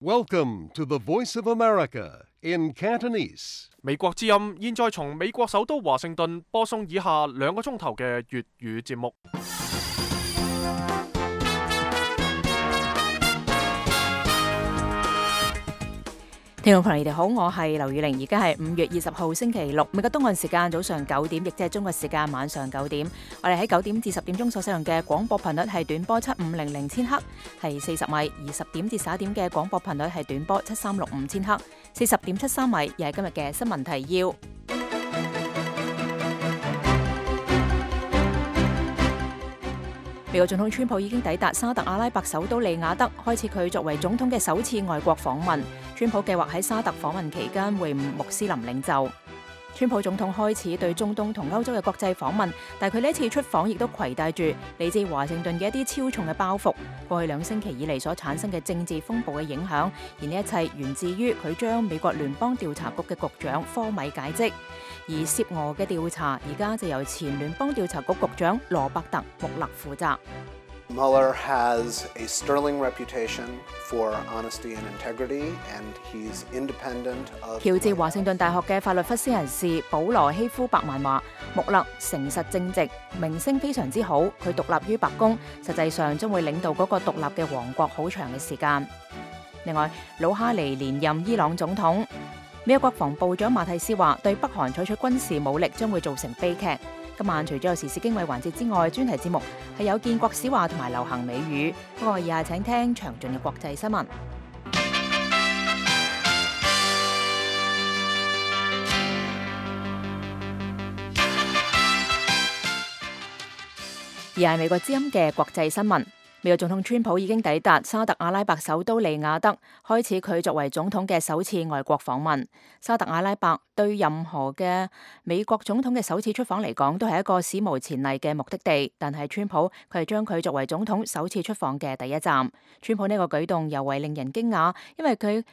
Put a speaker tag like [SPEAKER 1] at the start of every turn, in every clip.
[SPEAKER 1] Welcome to the Voice of America in Cantonese.
[SPEAKER 2] 美國之音現在從美國首都華盛頓播送以下2個鐘頭嘅粵語節目。
[SPEAKER 3] 聽眾朋友，你哋好，我係劉宇玲，而家係5月20號星期六，美國東岸時間早上9點，亦即係中國時間晚上9點。我哋喺9點至10點鐘所使用嘅廣播頻率係短波7500千赫，係40米；而10點至11點嘅廣播頻率係短波7365千赫，40.73米。又係今日嘅新聞提要。美國總統川普已經抵達沙特阿拉伯首都利雅得，開始佢作為總統嘅首次外國訪問。川普計劃喺沙特訪問期間會晤穆斯林領袖。川普總統開始對中東同歐洲嘅國際訪問，但佢呢一次出訪亦都攜帶住嚟自華盛頓嘅一啲超重嘅包袱。過去2星期以嚟所產生嘅政治風暴嘅影響，而呢一切源自於佢將美國聯邦調查局嘅局長科米解職。而涉俄嘅調查而家就由前聯邦調查局局長羅伯特·穆勒負責。
[SPEAKER 4] Mueller has a sterling reputation for honesty and integrity, and he's independent of.
[SPEAKER 3] 喬治華盛頓大學嘅法律科斯人士保羅希夫伯曼話：穆勒誠實正直，名聲非常之好。佢獨立於白宮，實際上將會領導嗰個獨立嘅王國好長嘅時間。另外，魯哈尼連任伊朗總統。美國國防部長馬蒂斯話：對北韓採取軍事武力將會造成悲劇。今晚除咗有時事經緯環節之外，專題節目係有建國史話同埋流行美語。不過以下請聽詳盡嘅國際新聞。而係美國之音嘅國際新聞。美國總統川普已經抵達沙特阿拉伯首都利雅得，開始佢作為總統嘅首次外國訪問。沙特阿拉伯對任何嘅美國總統嘅首次出訪嚟講，都係一個史無前例嘅目的地。但係川普佢係將佢作為總統首次出訪嘅第一站。川普呢個舉動尤為令人驚訝，因為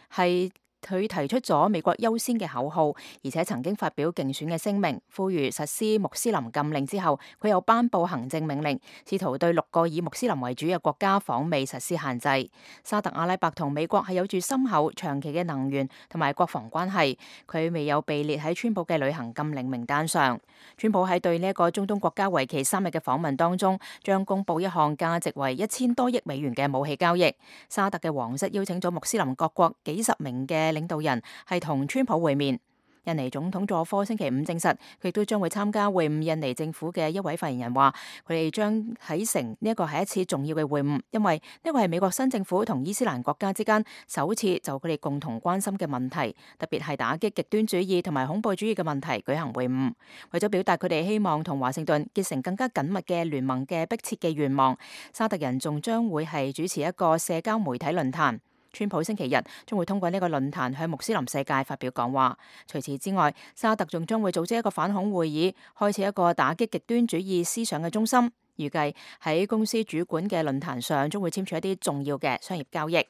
[SPEAKER 3] 佢提出咗美國優先嘅口號，而且曾經發表競選嘅聲明，呼籲實施穆斯林禁令之後，佢又頒布行政命令，試圖對6個以穆斯林為主嘅國家訪美實施限制。沙特阿拉伯同美國係有住深厚長期嘅能源同埋國防關係，佢未有被列喺川普嘅旅行禁令名單上。川普喺對呢一個中東國家為期3日嘅訪問當中，將公布一項價值為1000多億美元嘅武器交易。沙特嘅皇室邀請咗穆斯林各國幾十名嘅領導人係同川普會面。印尼總統佐科星期5證實，佢亦都將會參加會晤。印尼政府嘅一位發言人話，佢哋將喺成呢一個係一次重要嘅會晤，因為呢個係美國新政府同伊斯蘭國家之間首次就佢哋共同關心嘅問題，特別係打擊極端主義同埋恐怖主義嘅問題舉行會晤。為咗表達佢哋希望同華盛頓結成更加緊密嘅聯盟嘅迫切嘅願望，沙特人仲將會係主持一個社交媒體論壇。川普星期日將會通過呢個論壇向穆斯林世界發表講話。除此之外，沙特仲將會組織一個反恐會議，開設一個打擊極端主義思想嘅中心。預計喺公司主管嘅論壇上，將會簽署一啲重要嘅商業交易。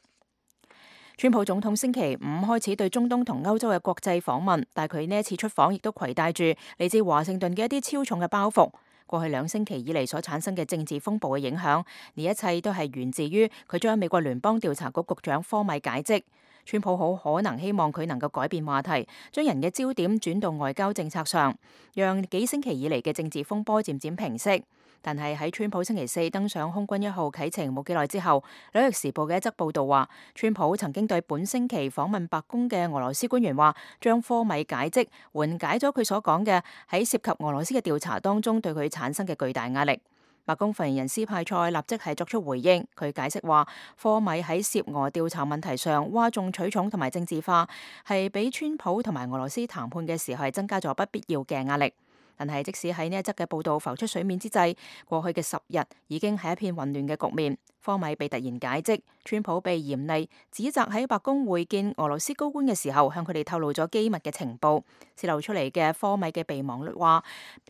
[SPEAKER 3] 川普總統星期5開始對中東同歐洲嘅國際訪問，但佢呢一次出訪亦都攜帶住嚟自華盛頓嘅一啲超重嘅包袱。過去2星期以嚟所產生嘅政治風暴嘅影響，呢一切都係源自於佢將美國聯邦調查局局長科米解職。川普好可能希望佢能夠改變話題，將人嘅焦點轉到外交政策上，讓幾星期以嚟嘅政治風波漸漸平息。但係喺川普星期4登上空軍1號啟程冇幾耐之後，紐約時報嘅一則報道話，川普曾經對本星期訪問白宮嘅俄羅斯官員話，將科米解職緩解咗佢所講嘅喺涉及俄羅斯嘅調查當中對佢產生嘅巨大壓力。白宮發言人斯派塞立即係作出回應，佢解釋話，科米喺涉俄調查問題上嘩眾取寵同埋政治化，係俾川普同埋俄羅斯談判嘅時候係增加咗不必要嘅壓力。但係即使喺呢一則嘅報道浮出水面之際，過去嘅10日已經係一片混亂嘅局面。科米被突然解職，川普被嚴厲指責喺白宮會見俄羅斯高官嘅時候，向佢哋透露咗機密嘅情報。泄露出嚟嘅科米嘅備忘錄話，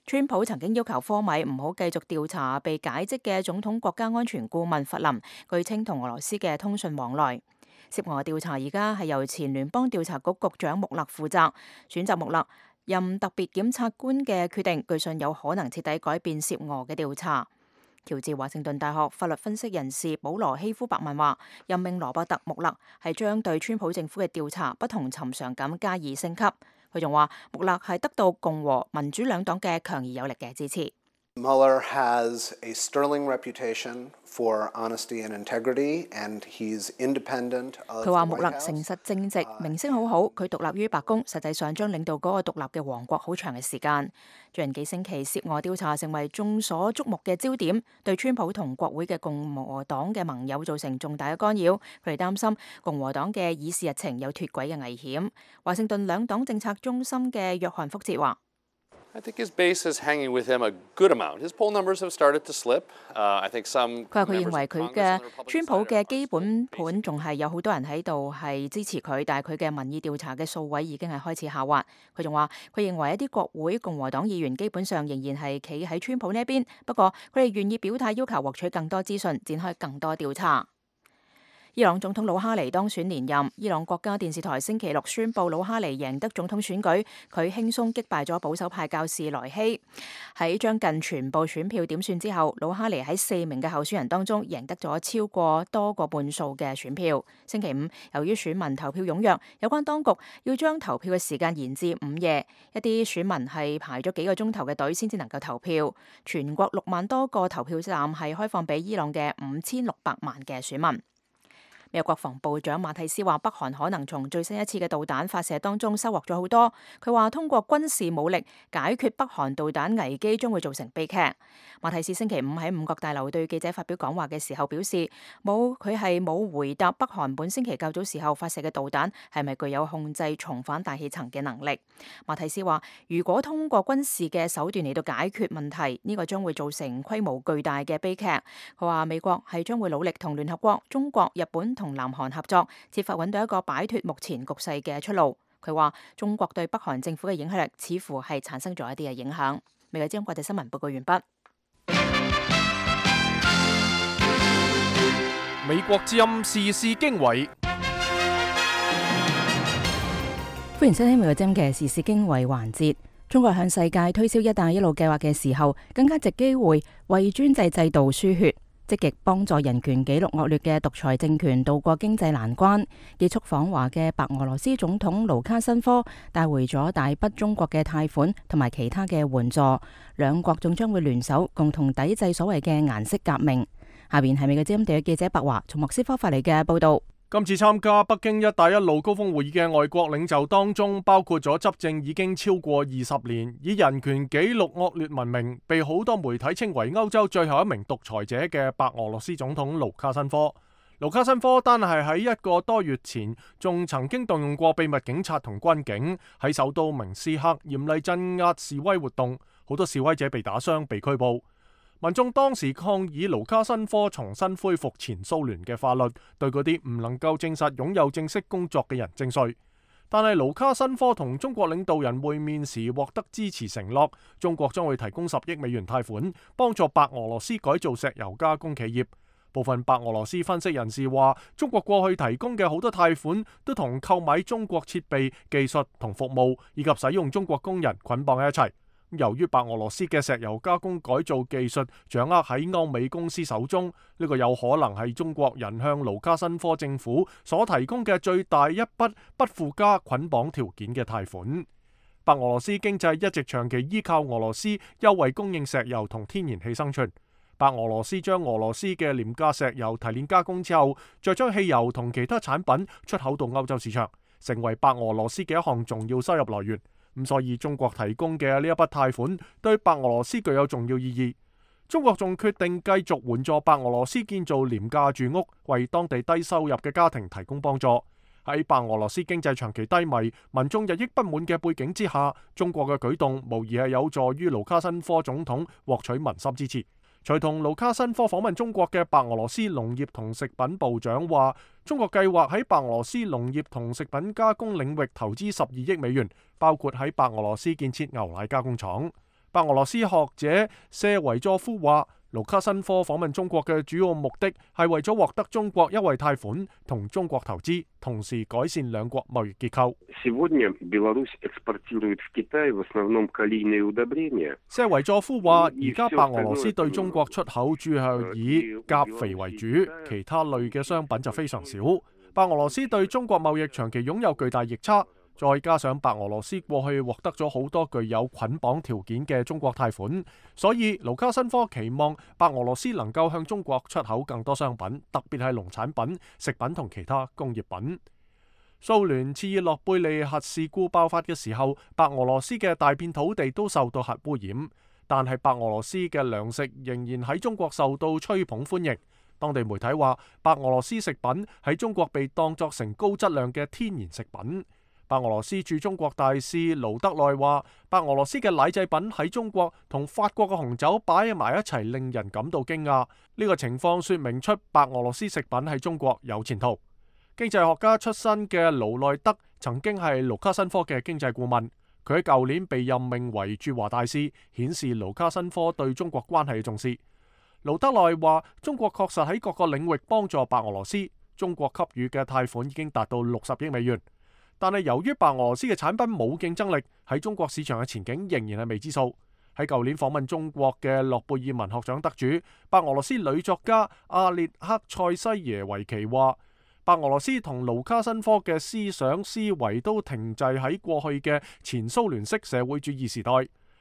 [SPEAKER 3] 川普曾經要求科米唔好繼續調查被解職嘅總統國家安全顧問弗林，據稱同俄羅斯嘅通訊往來。涉俄調查而家係由前聯邦調查局局長穆勒負責，選擇穆勒任特別檢察官嘅決定，據信有可能徹底改變涉俄嘅調查。喬治華盛頓大學法律分析人士保羅希夫伯曼話，任命羅伯特穆勒係將對川普政府嘅調查不同尋常咁加以升級。佢仲話，穆勒係得到共和民主兩黨嘅強而有力嘅支持。
[SPEAKER 4] Mueller has a sterling reputation for honesty and integrity, and he's independent of the White House.
[SPEAKER 3] 佢話穆勒誠實正直，名聲好好，佢獨立於白宮，實際上將領導嗰個獨立嘅王國好長嘅時間。最近幾星期涉外調查成為眾所矚目嘅焦點，對川普同國會嘅共和黨嘅盟友造成重大嘅干擾。佢哋擔心共和黨嘅議事日程有脫軌嘅危險。華盛頓兩黨政策中心嘅約翰福哲話
[SPEAKER 5] I think his base is hanging with him a good amount. His poll numbers have started to slip. I think some
[SPEAKER 3] 佢話佢認為佢嘅川普嘅基本盤仲係有好多人喺度係支持佢，但係佢嘅民意調查嘅數位已經係開始下滑。佢仲話佢認為一啲國會共和黨議員基本上仍然係企喺川普呢一邊，不過佢哋願意表態要求獲取更多資訊，展開更多調查。伊朗總統魯哈尼當選連任。伊朗國家電視台星期六宣布魯哈尼贏得總統選舉，佢輕鬆擊敗咗保守派教士萊希。喺將近全部選票點算之後，魯哈尼喺4名嘅候選人當中贏得咗超過多個半數嘅選票。星期五，由於選民投票踴躍，有關當局要將投票嘅時間延至午夜，一啲選民係排咗幾個鐘頭嘅隊先至能夠投票。全國6萬多個投票站係開放俾伊朗嘅5600萬嘅選民。美國國防部長馬蒂斯話，北韓可能從最新一次嘅導彈發射當中收穫咗好多。佢話通過軍事武力解決北韓導彈危機將會造成悲劇。馬蒂斯星期五喺五角大樓對記者發表講話嘅時候表示，佢係冇回答北韓本星期較早時候發射嘅導彈係咪具有控制重返大氣層嘅能力。馬蒂斯話，如果通過軍事嘅手段嚟到解決問題，呢個將會造成規模巨大嘅悲劇。佢話美國係將會努力同聯合國、中國、日本同南韓合作，設法揾到一個擺脫目前局勢嘅出路。佢話中國對北韓政府嘅影響力似乎係產生咗一啲嘅影響。美國之音國際新聞報告完畢。
[SPEAKER 2] 美國之音時事經緯，
[SPEAKER 3] 歡迎收聽美國之音嘅時事經緯環節。中國向世界推銷一帶一路計劃嘅時候，更加藉機會為專制制度輸血，積極幫助人權紀錄惡劣嘅獨裁政權渡過經濟難關。結束訪華嘅白俄羅斯總統盧卡申科帶回咗大筆中國嘅貸款同埋其他嘅援助，兩國仲將會聯手共同抵制所謂嘅顏色革命。下邊係美國之音地嘅記者白華從莫斯科發嚟嘅報道。
[SPEAKER 2] 今次參加北京一帶一路高峰會議嘅外國領袖當中，包括咗執政已經超過20年，以人權紀錄惡劣聞名，被好多媒體稱為歐洲最後一名獨裁者嘅白俄羅斯總統盧卡申科。盧卡申科單係喺1個多月前，仲曾經動用過秘密警察同軍警喺首都明斯克嚴厲鎮壓示威活動，好多示威者被打傷、被拘捕。民眾當時抗議盧卡申科重新恢復前蘇聯嘅法律，對嗰啲唔能夠證實擁有正式工作嘅人徵稅。但係盧卡申科同中國領導人會面時獲得支持承諾，中國將會提供10億美元貸款，幫助白俄羅斯改造石油加工企業。部分白俄羅斯分析人士話，中國過去提供嘅好多貸款都同購買中國設備、技術同服務，以及使用中國工人捆綁喺一齊。由於白俄羅斯嘅石油加工改造技術掌握喺歐美公司手中，呢個有可能係中國人向盧卡申科政府所提供嘅最大一筆不附加捆綁條件嘅貸款。白俄羅斯經濟一直長期依靠俄羅斯優惠供應石油同天然氣生存。白俄羅斯將俄羅斯嘅廉價石油提煉加工之後，再將汽油同其他產品出口到歐洲市場，成為白俄羅斯嘅一項重要收入來源。咁所以中國提供嘅呢一筆貸款對白俄羅斯具有重要意義。中國仲決定繼續援助白俄羅斯建造廉價住屋，為當地低收入嘅家庭提供幫助。喺白俄羅斯經濟長期低迷、民眾日益不滿嘅背景之下，中國嘅舉動無疑係有助於盧卡申科總統獲取民心支持。隨同盧卡申科訪問中國嘅白俄羅斯農業同食品部長話，中國計劃喺白俄羅斯農業同食品加工領域投資12億美元，包括喺白俄羅斯建設牛奶加工廠。白俄羅斯學者謝維佐夫話，盧卡申科訪問中國嘅主要目的係為咗獲得中國優惠貸款同中國投資，同時改善兩國貿易結構。謝維佐夫話：而家白俄羅斯對中國出口主要係以鉀肥為主，其他類嘅商品就非常少。白俄羅斯對中國貿易長期擁有巨大逆差。再加上白俄羅斯過去獲得咗好多具有捆綁條件嘅中國貸款，所以盧卡申科期望白俄羅斯能夠向中國出口更多商品，特別係農產品、食品同其他工業品。蘇聯切爾諾貝利核事故爆發嘅時候，白俄羅斯嘅大片土地都受到核污染，但係白俄羅斯嘅糧食仍然喺中國受到吹捧歡迎。當地媒體話，白俄羅斯食品喺中國被當作成高質量嘅天然食品。白俄羅斯駐中國大使盧德內話：白俄羅斯嘅奶製品喺中國同法國嘅紅酒擺埋一齊，令人感到驚訝。呢個情況說明出白俄羅斯食品喺中國有前途。經濟學家出身嘅盧內德曾經係盧卡申科嘅經濟顧問，佢喺舊年被任命為駐華大使，顯示盧卡申科對中國關係嘅重視。盧德內話：中國確實喺各個領域幫助白俄羅斯，中國給予嘅貸款已經達到60億美元。但係由於白俄羅斯嘅產品冇競爭力，喺中國市場嘅前景仍然係未知數。喺舊年訪問中國嘅諾貝爾文學獎得主白俄羅斯女作家阿列克塞西耶維奇話：白俄羅斯同盧卡申科嘅思想思維都停滯喺過去嘅前蘇聯式社會主義時代。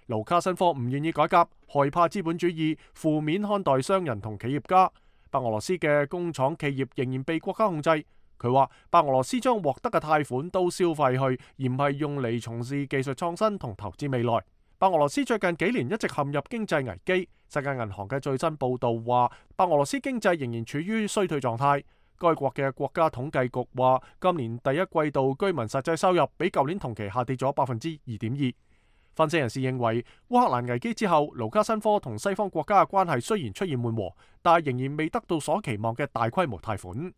[SPEAKER 2] 盧卡申科唔願意改革，害怕資本主義，負面看待商人同企業家。白俄羅斯嘅工廠企業仍然被國家控制。佢話：白俄羅斯將獲得嘅貸款都消費去，而唔係用嚟從事技術創新同投資未來。白俄羅斯最近幾年一直陷入經濟危機。世界銀行嘅最新報導話，白俄羅斯經濟仍然處於衰退狀態。該國嘅國家統計局話，今年第一季度居民實際收入比舊年同期下跌咗2.2%。分析人士認為，烏克蘭危機之後，盧卡申科同西方國家嘅關係雖然出現緩和，但仍然未得到所期望嘅大規模貸款。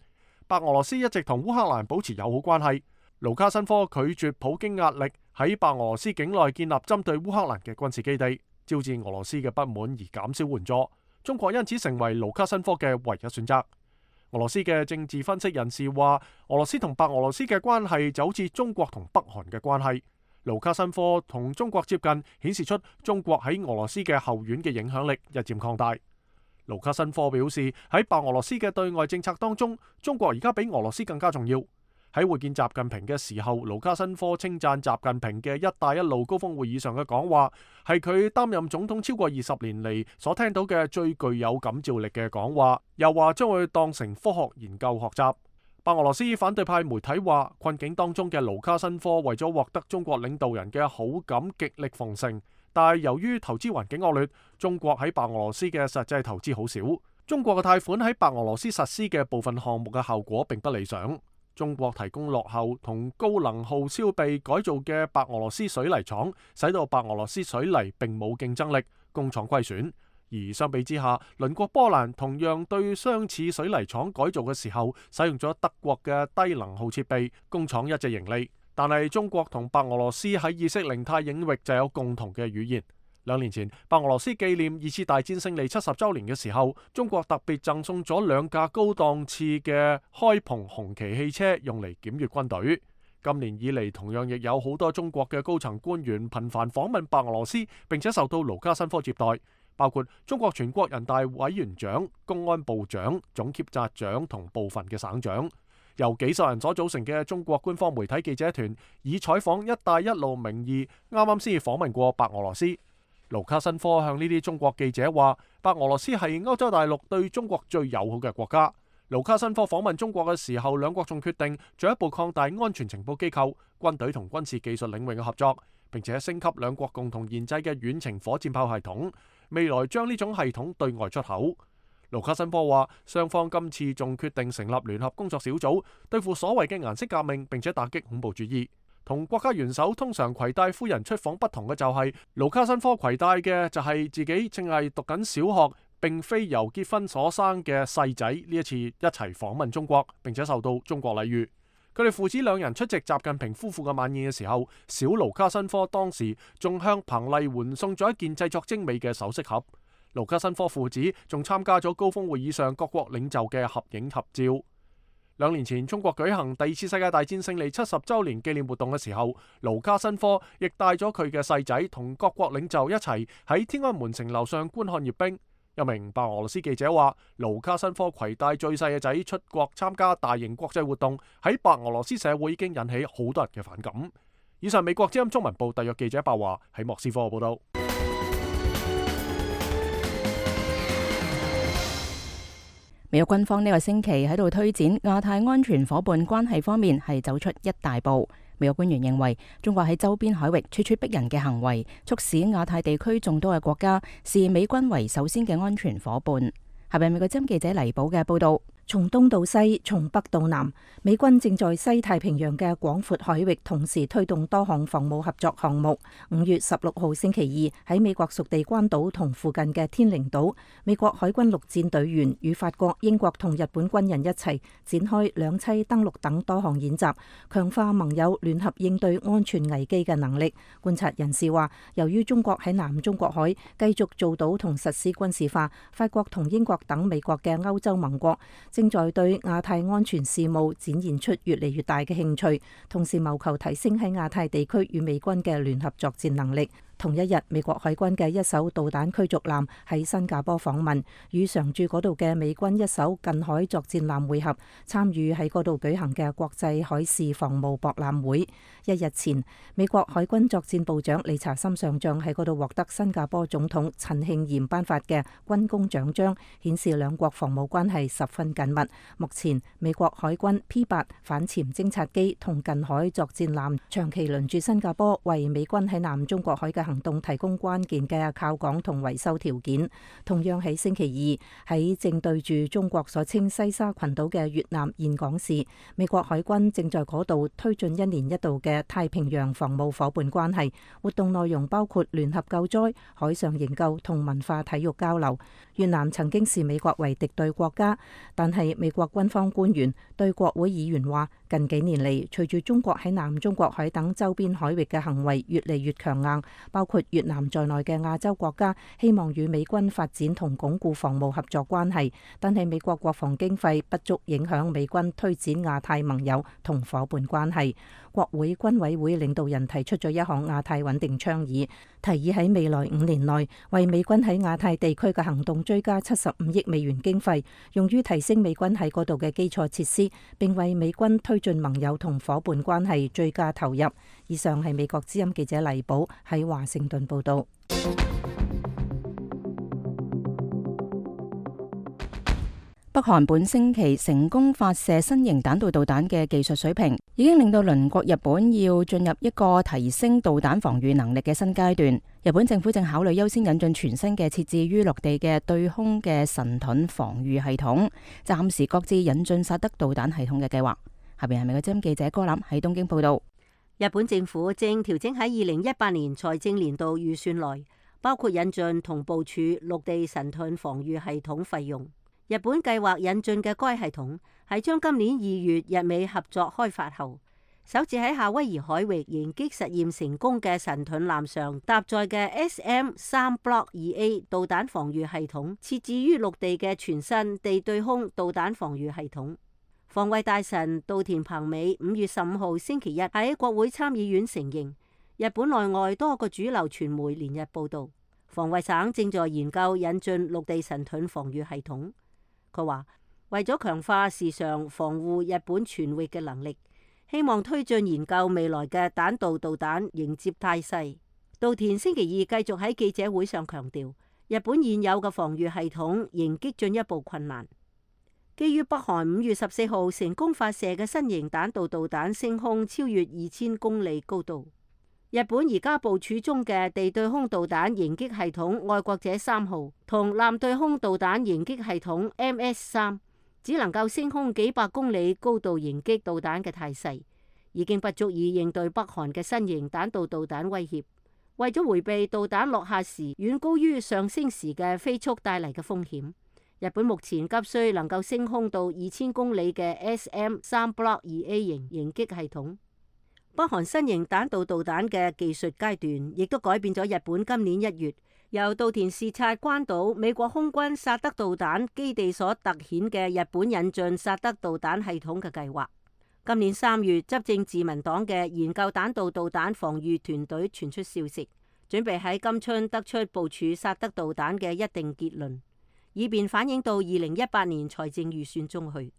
[SPEAKER 2] 白俄羅斯一直同烏克蘭保持友好關係。盧卡申科拒絕普京壓力，喺白俄羅斯境內建立針對烏克蘭嘅軍事基地，招致俄羅斯嘅不滿而減少援助。中國因此成為盧卡申科嘅唯一選擇。俄羅斯嘅政治分析人士話，俄羅斯同白俄羅斯嘅關係就好似中國同北韓嘅關係。盧卡申科同中國接近，顯示出中國喺俄羅斯嘅後院嘅影響力日漸擴大。盧卡申科表示，喺白俄羅斯嘅對外政策當中，中國而家比俄羅斯更加重要。喺會見習近平嘅時候，盧卡申科稱讚習近平嘅一帶一路高峰會議上嘅講話，係佢擔任總統超過20年嚟所聽到嘅最具有感召力嘅講話，又話將會當成科學研究學習。白俄羅斯反對派媒體話，困境當中嘅盧卡申科為咗獲得中國領導人嘅好感，極力奉承。但係由於投資環境惡劣，中國喺白俄羅斯嘅實際投資好少。中國嘅貸款喺白俄羅斯實施嘅部分項目嘅效果並不理想。中國提供落後同高能耗燒備改造嘅白俄羅斯水泥廠，使到白俄羅斯水泥並冇競爭力，工廠虧損。而相比之下，鄰國波蘭同樣對相似水泥廠改造嘅時候，使用咗德國嘅低能耗設備，工廠一直盈利。但係中國同白俄羅斯喺意識形態領域就有共同嘅語言。2年前，白俄羅斯紀念2次大戰勝利70週年嘅時候，中國特別贈送咗2架高檔次嘅開篷紅旗汽車，用嚟檢閱軍隊。今年以嚟，同樣亦有好多中國嘅高層官員頻繁訪問白俄羅斯，並且受到盧卡申科接待，包括中國全國人大委員長、公安部長、總檢察長同部分嘅省長。由幾十人所組成嘅中國官方媒體記者團，以採訪一帶一路名義，啱啱先訪問過白俄羅斯。盧卡申科向呢啲中國記者話，白俄羅斯係歐洲大陸對中國最友好嘅國家。盧卡申科訪問中國嘅時候，兩國仲決定進一步擴大安全情報機構、軍隊同軍事技術領域嘅合作，並且升級兩國共同研製嘅遠程火箭炮系統，未來將呢種系統對外出口。盧卡申科話，雙方今次仲決定成立聯合工作小組，對付所謂嘅顏色革命，並且打擊恐怖主義。同國家元首通常攜帶夫人出訪不同嘅就係，盧卡申科攜帶嘅就係自己正係讀緊小學，並非由結婚所生嘅細仔。呢一次一齊訪問中國，並且受到中國禮遇。佢哋父子兩人出席習近平夫婦嘅晚宴嘅時候，小盧卡申科當時仲向彭麗媛送咗一件製作精美嘅首飾盒。盧卡申科父子仲參加咗高峰會議上各國領袖嘅合影合照。2年前中國舉行第2次世界大戰勝利70週年紀念活動嘅時候，盧卡申科亦帶咗佢嘅細仔同各國領袖一齊喺天安門城樓上觀看閱兵。一名白俄羅斯記者話，盧卡申科攜帶最細嘅仔出國參加大型國際活動，喺白俄羅斯社會已經引起好多人嘅反感。以上美國之音中文部特約記者白華喺莫斯科報道。
[SPEAKER 3] 美國軍方呢個星期喺度推展亞太安全夥伴關係方面係走出一大步。美國官員認為，中國喺周邊海域處處逼人嘅行為，促使亞太地區眾多嘅國家視美軍為首先嘅安全夥伴。下邊美國之音記者黎寶嘅報道。
[SPEAKER 6] 從東到西，從北到南，美軍正在西太平洋嘅廣闊海域同時推動多項防務合作項目。5月16號星期二，喺美國屬地關島同附近嘅天寧島，美國海軍陸戰隊員與法國、英國同日本軍人一齊展開兩棲登陸等多項演習，強化盟友聯合應對安全危機嘅能力。觀察人士話，由於中國喺南中國海繼續做到同實施軍事化，法國同英國等美國嘅歐洲盟國正在對亞太安全事務展現出越嚟越大嘅興趣，同時謀求提升喺亞太地區與美軍嘅聯合作戰能力。同一日，美國海軍嘅一艘導彈驅逐艦喺新加坡訪問，與常駐嗰度嘅美軍一艘近海作戰艦會合，參與喺嗰度舉行嘅國際海事防務博覽會。一日前，美國海軍作戰部長理查森上將喺嗰度獲得新加坡總統陳慶炎頒發嘅軍功獎章，顯示兩國防務關係十分緊密。目前，美國海軍 P8 反潛偵察機同近海作戰艦長期輪駐新加坡，為美軍喺南中國海嘅行動提供關鍵嘅靠港同維修條件。同樣喺星期二，喺正對住中國所稱西沙群島嘅越南峴港市，美國海軍正在嗰度推進1年1度嘅太平洋防務夥伴關係活動，內容包括聯合救災、海上營救同文化體育交流。越南曾經視美國為敵對國家，但係美國軍方官員對國會議員話，近幾年嚟，隨住中國喺南中國海等周邊海域嘅行為越嚟越強硬，包括越南在內嘅亞洲國家希望與美軍發展同鞏固防務合作關係，但係美國國防經費不足，影響美軍推展亞太盟友同夥伴關係。國會軍委會領導人提出咗一項亞太穩定倡議，提議喺未來5年內為美軍喺亞太地區嘅行動追加75億美元經費，用於提升美軍喺嗰度嘅基礎設施，並為美軍推進盟友同夥伴關係追加投入。以上係美國之音記者黎寶喺華盛頓報道。
[SPEAKER 3] 北韓本星期成功發射新型彈道導彈嘅技術水平，已經令到鄰國日本要進入一個提升導彈防禦能力嘅新階段。日本政府正考慮優先引進全新嘅設置於陸地嘅對空嘅神盾防禦系統，暫時擱置引進薩德導彈系統嘅計劃。下邊係美國之音記者柯林喺東京報道。
[SPEAKER 7] 日本政府正調整喺2018年財政年度預算內，包括引進同部署陸地神盾防禦系統費用。日本計劃引進嘅該系統係將今年2月日美合作開發後，首次喺夏威夷海域迎擊實驗成功嘅神盾艦上搭載嘅 SM-3 Block 2A 導彈防禦系統設置於陸地嘅全新地對空導彈防禦系統。防衛大臣稻田朋美5月15號星期一喺國會參議院承認，日本內外多個主流傳媒連日報道，防衛省正在研究引進陸地神盾防禦系統。佢話為咗強化時常防護日本全域嘅能力，希望推進研究未來嘅彈道導彈迎接態勢。稻田星期二繼續喺記者會上強調，日本現有嘅防禦系統迎擊進一步困難。基於北韓5月14號成功發射嘅新型彈道導彈升空超越2000公里高度，日本而家部署中嘅地對空導彈迎擊系統愛國者3號同艦對空導彈迎擊系統 MS-3 只能夠升空幾百公里高度迎擊導彈嘅態勢，已經不足以應對北韓嘅新型彈道導彈威脅。為咗迴避導彈落下時遠高於上升時嘅飛速帶嚟嘅風險，日本目前急需能夠升空到2000公里嘅 SM-3 Block 2A 型迎擊系統。北韓新型彈道導彈嘅技術階段，亦都改變咗日本今年1月由稻田視察關島美國空軍薩德導彈基地所突顯嘅日本引進薩德導彈系統嘅計劃。今年3月，執政自民黨嘅研究彈道導彈防禦團隊傳出消息，準備喺今春得出部署薩德導彈嘅一定結論，以便反映到2018年財政預算中去。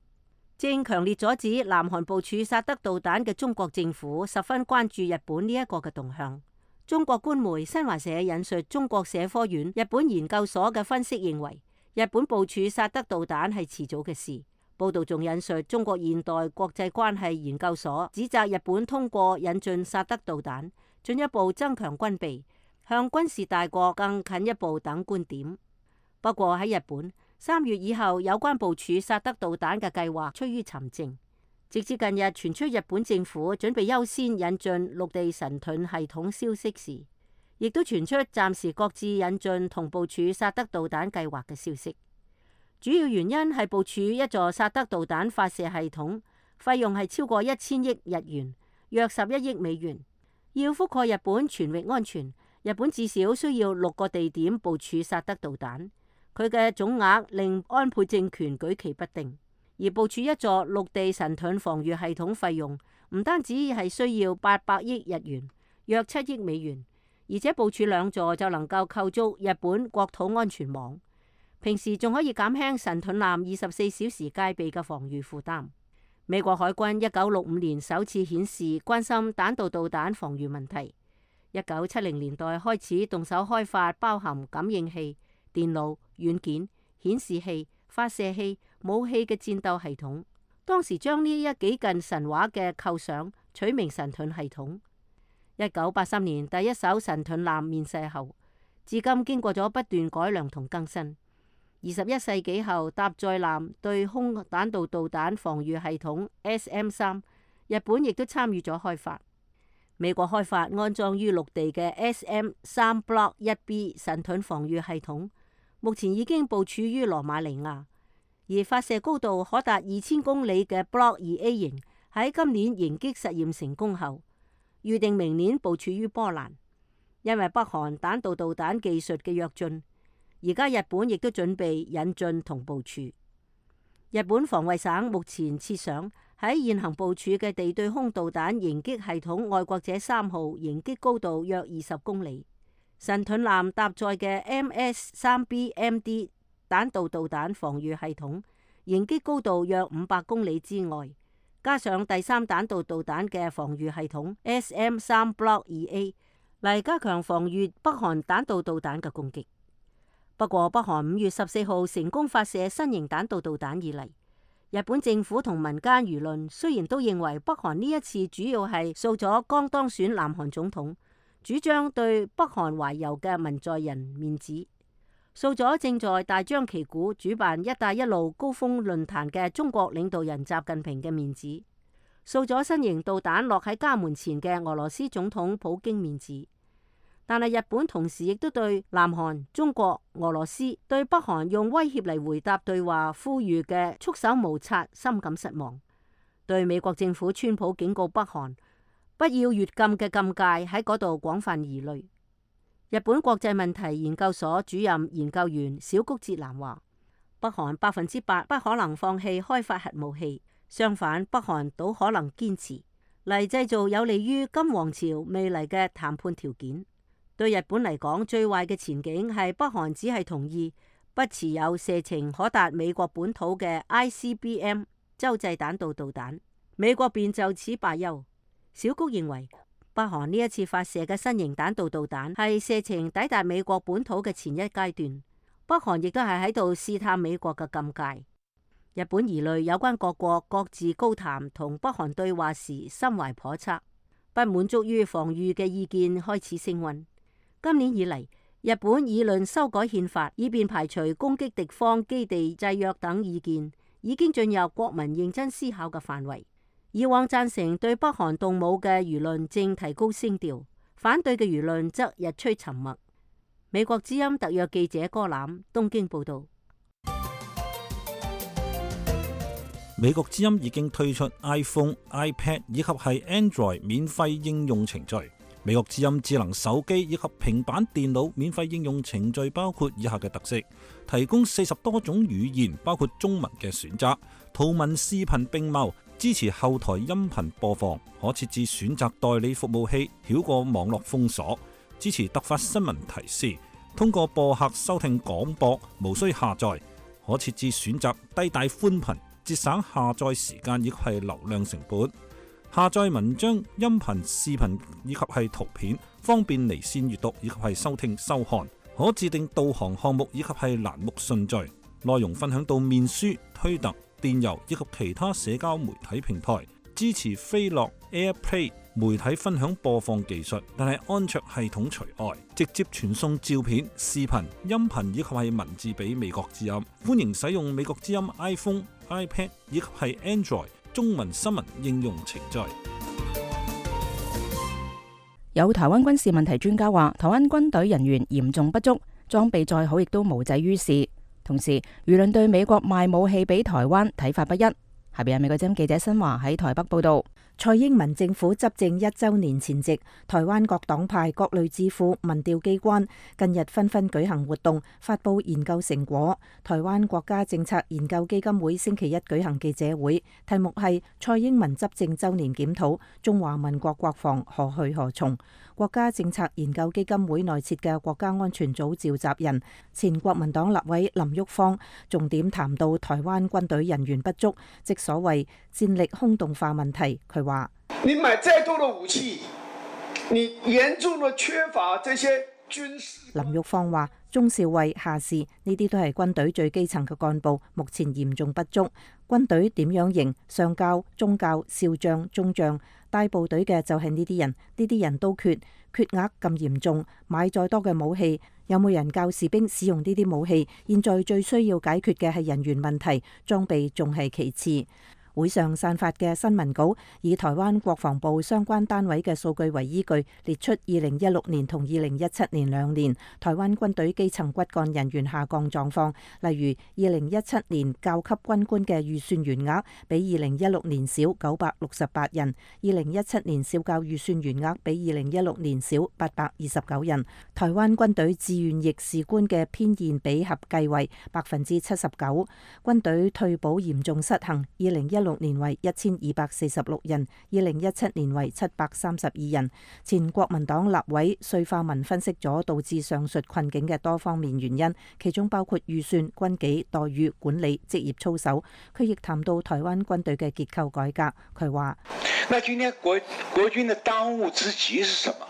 [SPEAKER 7] 正強烈阻止南韓部署薩德導彈嘅中國政府十分關注日本呢一個嘅動向。中國官媒新華社引述中國社科院日本研究所嘅分析認為，日本部署薩德導彈係遲早嘅事。報道仲引述中國現代國際關係研究所指責日本通過引進薩德導彈，進一步增強軍備，向軍事大國更近一步等觀點。不過喺日本3月以後，有關部署薩德導彈嘅計劃趨於沉靜。直至近日傳出日本政府準備優先引進陸地神盾系統消息時，亦都傳出暫時擱置引進同部署薩德導彈計劃嘅消息。主要原因係部署一座薩德導彈發射系統，費用係超過1000億日元，約11億美元。要覆蓋日本全域安全，日本至少需要6個地點部署薩德導彈，佢嘅總額令安倍政權舉棋不定。而部署一座陸地神盾防禦系統費用唔單止係需要800億日元，約7億美元，而且部署2座就能夠構築日本國土安全網，平時仲可以減輕神盾艦24小時戒備嘅防禦負擔。美國海軍1965年首次顯示關心彈道導彈防禦問題，1970年代開始動手開發包含感應器、電腦、軟件、顯示器、發射器、武器嘅戰鬥系統，當時將呢一幾近神話嘅構想取名神盾系統。1983年第一艘神盾艦面世後，至今經過咗不斷改良同更新。21世紀後，搭載艦對空彈道導彈防禦系統 SM-3，日本亦都參與咗開發。美國開發安裝於陸地嘅 SM-3 Block 1B 神盾防禦系統，目前已經部署於羅馬尼亞。而發射高度可達2000公里嘅 Block 2A 型喺今年迎擊實驗成功後，預定明年部署於波蘭。因為北韓彈道導彈技術嘅躍進，而家日本亦都準備引進同部署。日本防衛省目前設想喺現行部署嘅地對空導彈迎擊系統愛國者3號迎擊高度約20公里，神盾艦搭載嘅 MS-3B-MD 彈道導彈防禦系統迎擊高度約500公里之外，加上第3彈道導彈嘅防禦系統 SM-3 Block 2A 嚟加強防禦北韓彈道導彈嘅攻擊。不過北韓5月14號成功發射新型彈道導彈以嚟，日本政府同民間輿論雖然都認為北韓呢一次主要係掃咗剛當選南韓總統主張對北韓懷柔嘅文在寅面子，掃咗正在大張旗鼓主辦一帶一路高峰論壇嘅中國領導人習近平嘅面子，掃咗新型導彈落喺家門前嘅俄羅斯總統普京面子。但係日本同時亦都對南韓、中國、俄羅斯對北韓用威脅嚟回答對話呼籲嘅束手無策深感失望，對美國政府川普警告北韓不要越禁嘅禁戒喺嗰度廣泛疑慮。日本國際問題研究所主任研究員小谷哲男話：北韓100%不可能放棄開發核武器，相反，北韓倒可能堅持嚟製造有利於金王朝未來嘅談判條件。對日本嚟講，最壞嘅前景係北韓只係同意不持有射程可達美國本土嘅 ICBM 洲際彈道導彈，美國便就此罷休。小谷認為，北韓呢一次發射嘅新型彈道導彈係射程抵達美國本土嘅前一階段，北韓亦都係喺度試探美國嘅禁戒。日本疑慮有關各國各自高談同北韓對話時心懷叵測，不滿足於防禦嘅意見開始升溫。今年以嚟，日本議論修改憲法，以便排除攻擊敵方基地制約等意見，已經進入國民認真思考嘅範圍。以往贊成對北韓動武嘅輿論正提高聲調，反對嘅輿論則日趨沉默。美國之音特約記者柯攬東京報道。
[SPEAKER 8] 美國之音已經推出 iPhone、iPad 以及係 Android 免費應用程序。美國之音智能手機以及平板電腦免費應用程序包括以下嘅特色：提供40多種語言，包括中文嘅選擇，圖文視頻並茂，支持後台音頻播放，可設置選擇代理服務器，繞過網絡封鎖，支持突發新聞提示，通過播客收聽廣播，無需下載，可設置選擇低帶寬頻，節省下載時間以及係流量成本。下載文章、音頻、視頻以及係圖片，方便離線閱讀以及係收聽收看。可自定導航項目以及係欄目順序。內容分享到面書、推特、電郵以及其他社交媒體平台。支持飛樂 AirPlay 媒體分享播放技術，但係安卓系統除外。直接傳送照片、視頻、音頻以及係文字俾美國之音。歡迎使用美國之音 iPhone、iPad 以及係 Android中文新聞應用程序。
[SPEAKER 3] 有台灣軍事問題專家話，台灣軍隊人員嚴重不足，裝備再好亦都無濟於事。同時，輿論對美國賣武器俾台灣睇法不一。下邊係美國之音記者新華喺台北報道。
[SPEAKER 6] 蔡英文政府執政1週年前夕，台灣各黨派、各類智庫、民調機關近日紛紛舉行活動，發佈研究成果。台灣國家政策研究基金會星期一舉行記者會，題目係蔡英文執政週年檢討，中華民國國防何去何從。國家政策研究基金會內設嘅國家安全組召集人、前國民黨立委林郁方重點談到台灣軍隊人員不足，即所謂戰力空洞化問題。佢話：
[SPEAKER 9] 你買再多的武器，你嚴重的缺乏這些軍事。
[SPEAKER 6] 林郁方話：中少尉、下士呢啲都係軍隊最基層嘅幹部，目前嚴重不足。軍隊點樣型？上校、中校、少將、中將，帶部隊嘅就係呢啲人，呢啲人都缺額咁嚴重，買再多嘅武器，有冇人教士兵使用呢啲武器？現在最需要解決嘅係人員問題，裝備仲係其次。會上散發嘅新聞稿以台灣國防部相關單位嘅數據為依據，列出2016年同2017年2年台灣軍隊基層骨幹人員下降狀況。例如2017年教級軍官嘅預算員額比2016年少968人，2017年少教預算員額比2016年少829人。台灣軍隊志願役士官嘅編現比合計為79%。軍隊退保嚴重失衡，2016年為1246人，2017年為732人。前國民黨立委瑞化文分析咗導致上述困境嘅多方面原因，其中包括預算、軍紀、待遇、管理、職業操守。佢亦談到台灣軍隊嘅結構改革。佢話：
[SPEAKER 9] 那今天國軍的當務之急是什麼？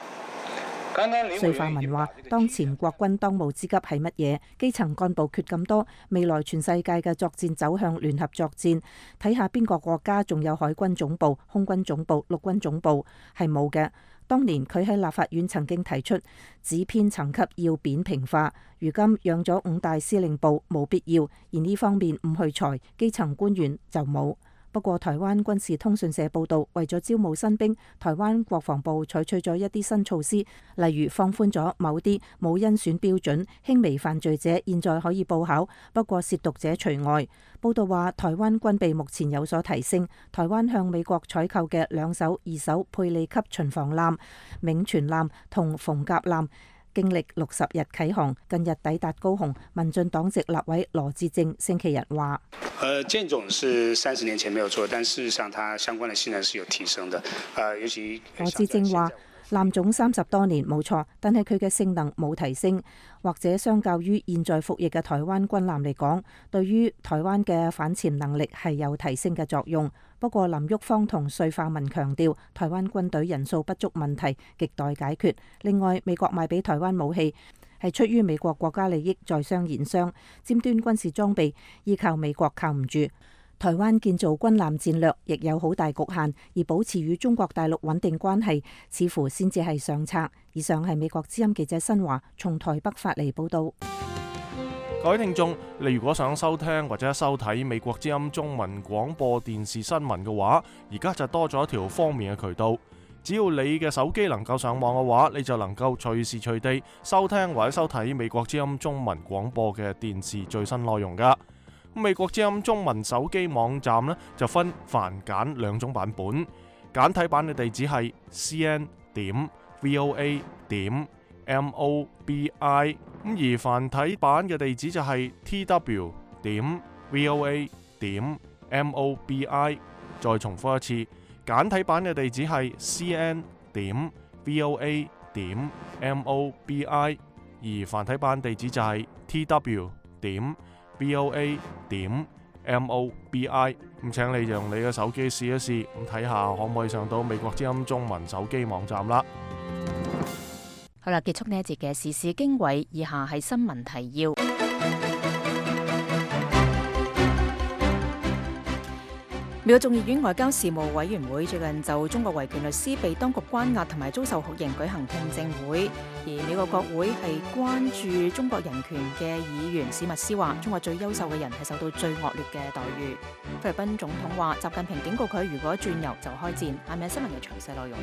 [SPEAKER 6] 瑞化文話：當前國軍當務之急係乜嘢？基層幹部缺咁多，未來全世界嘅作戰走向聯合作戰，睇下邊個國家仲有海軍總部、空軍總部、陸軍總部，係冇嘅。當年佢喺立法院曾經提出指編層級要扁平化，如今養咗5大司令部冇必要，而呢方面唔去裁，基層官員就冇。不過，台灣軍事通訊社報道，為咗招募新兵，台灣國防部採取咗一啲新措施，例如放寬咗某啲冇甄選標準、輕微犯罪者現在可以報考，不過褻瀆者除外。報道話，台灣軍備目前有所提升，台灣向美國採購嘅2艘、2艘佩利級巡防艦、銘傳艦同逢甲艦，經歷60日啟航，近日抵達高雄。民進黨籍立委羅致政星期日話：
[SPEAKER 10] 艦種是30年前沒有錯，但事實上它相關的性能是有提升的。尤其
[SPEAKER 6] 羅致政話，艦種30多年冇錯，但係佢嘅性能冇提升，或者相較於現在服役嘅台灣軍艦嚟講，對於台灣嘅反潛能力係有提升嘅作用。不過林郁方同瑞化文強調，台灣軍隊人數不足問題亟待解決。另外，美國賣俾台灣武器係出於美國國家利益，在商言商，尖端軍事裝備依靠美國靠唔住。台灣建造軍艦戰略亦有好大局限，而保持與中國大陸穩定關係，似乎先至係上策。以上係美國之音記者新華從台北發嚟報道。
[SPEAKER 2] 各位聽眾，你如果想收聽或者收睇美國之音中文廣播電視新聞嘅話，而家就多咗一條方便嘅渠道。只要你嘅手機能夠上網嘅話，你就能夠隨時隨地收聽或者收睇美國之音中文廣播嘅電視最新內容噶。美國之音中文手機網站呢，就分繁簡2種版本，簡體版嘅地址係 voa.mobi。咁而繁體版嘅地址就係 tw.voa.mobi。再重複一次，簡體版嘅地址係 cn.voa.mobi， 而繁體版地址就係 tw.voa.mobi。咁請你用你嘅手機試一試，咁睇下可唔可以上到美國之音中文手機網站啦。
[SPEAKER 3] 好啦，結束呢一節嘅時事經緯，以下係新聞提要。美國眾議院外交事務委員會最近就中國維權律師被當局關押同埋遭受酷刑舉行聽證會，而美國國會係關注中國人權嘅議員史密斯話，中國最優秀嘅人係受到最惡劣嘅待遇。菲律賓總統話，習近平警告佢，如果轉右就開戰。下面新聞嘅詳細內容。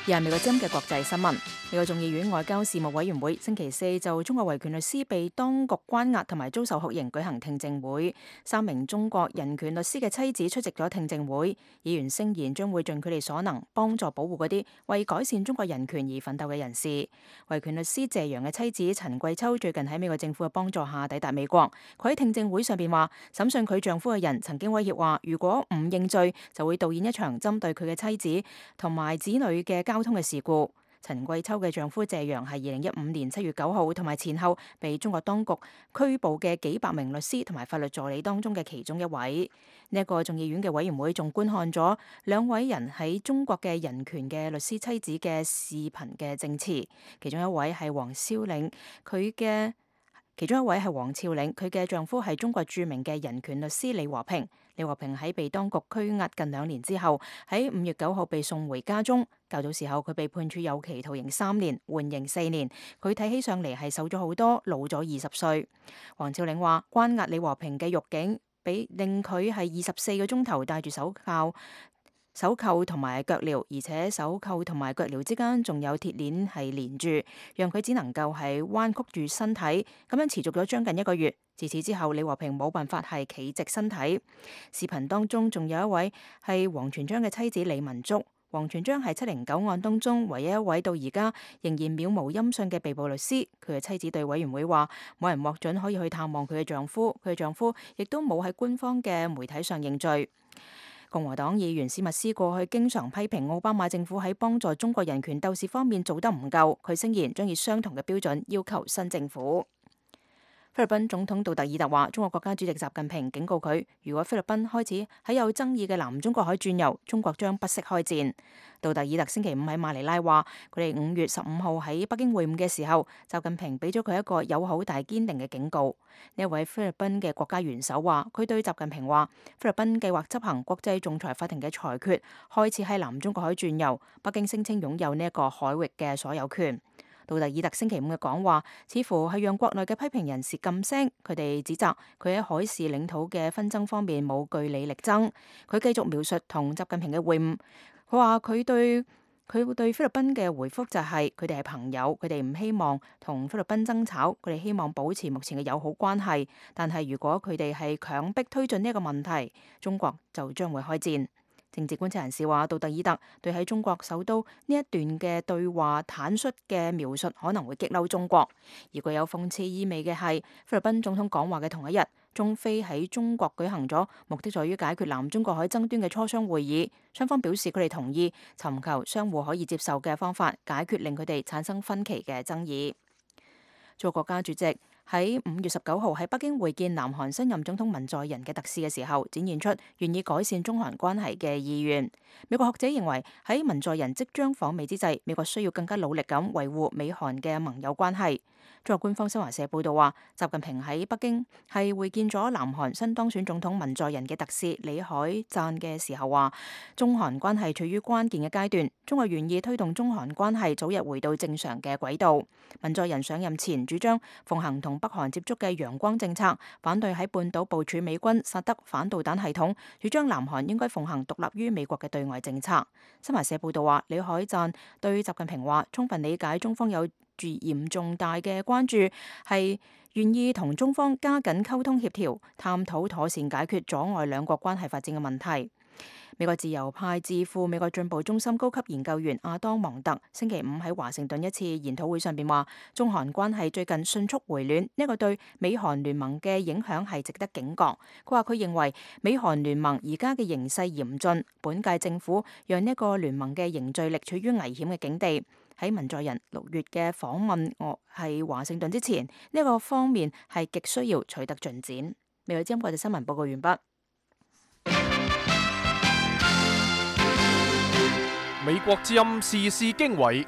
[SPEAKER 3] 又係美國之音嘅國際新聞。美國眾議院外交事務委員會星期四就中國維權律師被當局關押同埋遭受酷刑舉行聽證會。3名中國人權律師嘅妻子出席咗聽證會。議員聲言將會盡佢哋所能幫助保護嗰啲為改善中國人權而奮鬥嘅人士。維權律師謝陽嘅妻子陳桂秋最近喺美國政府嘅幫助下抵達美國。佢喺聽證會上邊話，審訊佢丈夫嘅人曾經威脅話，如果唔認罪就會導演一場針對佢嘅妻子同埋子女嘅交通嘅事故。陳桂秋嘅丈夫謝陽係2015年7月9號同埋前後被中國當局拘捕嘅幾百名律師同埋法律助理當中嘅其中一位。呢一個眾議院嘅委員會仲觀看咗2位人喺中國嘅人權嘅律師妻子嘅視頻嘅證詞，其中一位係黃超領，佢嘅丈夫係中國著名嘅人權律師李和平。李和平喺被當局拘押近2年之後，喺5月9號被送回家中。較早時候佢被判處有期徒刑3年，緩刑4年。佢睇起上嚟係瘦咗好多，老咗20歲。黃超領話，關押李和平嘅獄警令佢係24個鐘頭戴住手扣同埋腳鐐，而且手扣同埋腳鐐之間仲有鐵鏈係連住，讓佢只能夠係彎曲住身體，咁樣持續咗將近1個月。自此之後，李和平冇辦法係企直身體。視頻當中仲有一位係王全璋嘅妻子李文竹。王全璋係709案當中唯一一位到而家仍然渺無音訊嘅被捕律師。佢嘅妻子對委員會話，冇人獲准可以去探望佢嘅丈夫，佢嘅丈夫亦都冇喺官方嘅媒體上認罪。共和黨議員史密斯過去經常批評奧巴馬政府喺幫助中國人權鬥士方面做得唔夠，佢聲言將以相同嘅標準要求新政府。菲律賓總統杜特爾特話，中國國家主席習近平警告佢，如果菲律賓開始喺有爭議嘅南中國海轉右，中國將不惜開戰。杜特爾特星期5喺馬尼拉話，佢哋5月15號喺北京會晤嘅時候，習近平俾咗佢一個友好但堅定嘅警告。呢一位菲律賓嘅國家元首話，佢對習近平話，菲律賓計劃執行國際仲裁法庭嘅裁決，開始喺南中國海轉右。北京聲稱擁有呢一個海域嘅所有權。杜特爾特星期5嘅講話，似乎係讓國內嘅批評人士噤聲。佢哋指責佢喺海事領土嘅紛爭方面冇據理力爭。佢繼續描述同習近平嘅會晤，佢話佢對菲律賓嘅回覆就係佢哋係朋友，佢哋唔希望同菲律賓爭吵，佢哋希望保持目前嘅友好關係。但係如果佢哋係強迫推進呢一個問題，中國就將會開戰。政治觀察人士話，杜特爾特對喺中國首都呢一段嘅對話坦率嘅描述可能會激嬲中國。而具有諷刺意味嘅係，菲律賓總統講話嘅同一日，中菲喺中國舉行咗目的在於解決南中國海爭端嘅磋商會議，雙方表示佢哋同意尋求相互可以接受嘅方法解決令佢哋產生分歧嘅爭議。做國家主席喺5月19號喺北京會見南韓新任總統文在寅嘅特使嘅時候，展現出願意改善中韓關係嘅意願。美國學者認為喺文在寅即將訪美之際，美國需要更加努力咁維護美韓嘅盟友關係。中國官方新華社報道話，習近平喺北京係會見咗南韓新當選總統文在寅嘅特使李海贊嘅時候話，中韓關係處於關鍵嘅階段，中國願意推動中韓關係早日回到正常嘅軌道。文在寅上任前主張奉行同北韓接觸嘅陽光政策，反對喺半島部署美軍薩德反導彈系統，主張南韓應該奉行獨立於美國嘅對外政策。新華社報道話，李海贊對習近平話，充分理解中方有住嚴重大嘅關注，係願意同中方加緊溝通協調，探討妥善解決阻礙兩國關係發展嘅問題。美國自由派智庫美國進步中心高級研究員阿當芒特星期五喺華盛頓一次研討會上邊話，中韓關係最近迅速回暖，呢個對美韓聯盟嘅影響係值得警覺。佢話佢認為美韓聯盟而家嘅形勢嚴峻，本屆政府讓呢個聯盟嘅凝聚力處於危險嘅境地。喺文在寅6月嘅訪問係華盛頓之前，呢個方面係極需要取得進展。美國之音國際新聞報告完畢。
[SPEAKER 2] 美國之音時事經緯，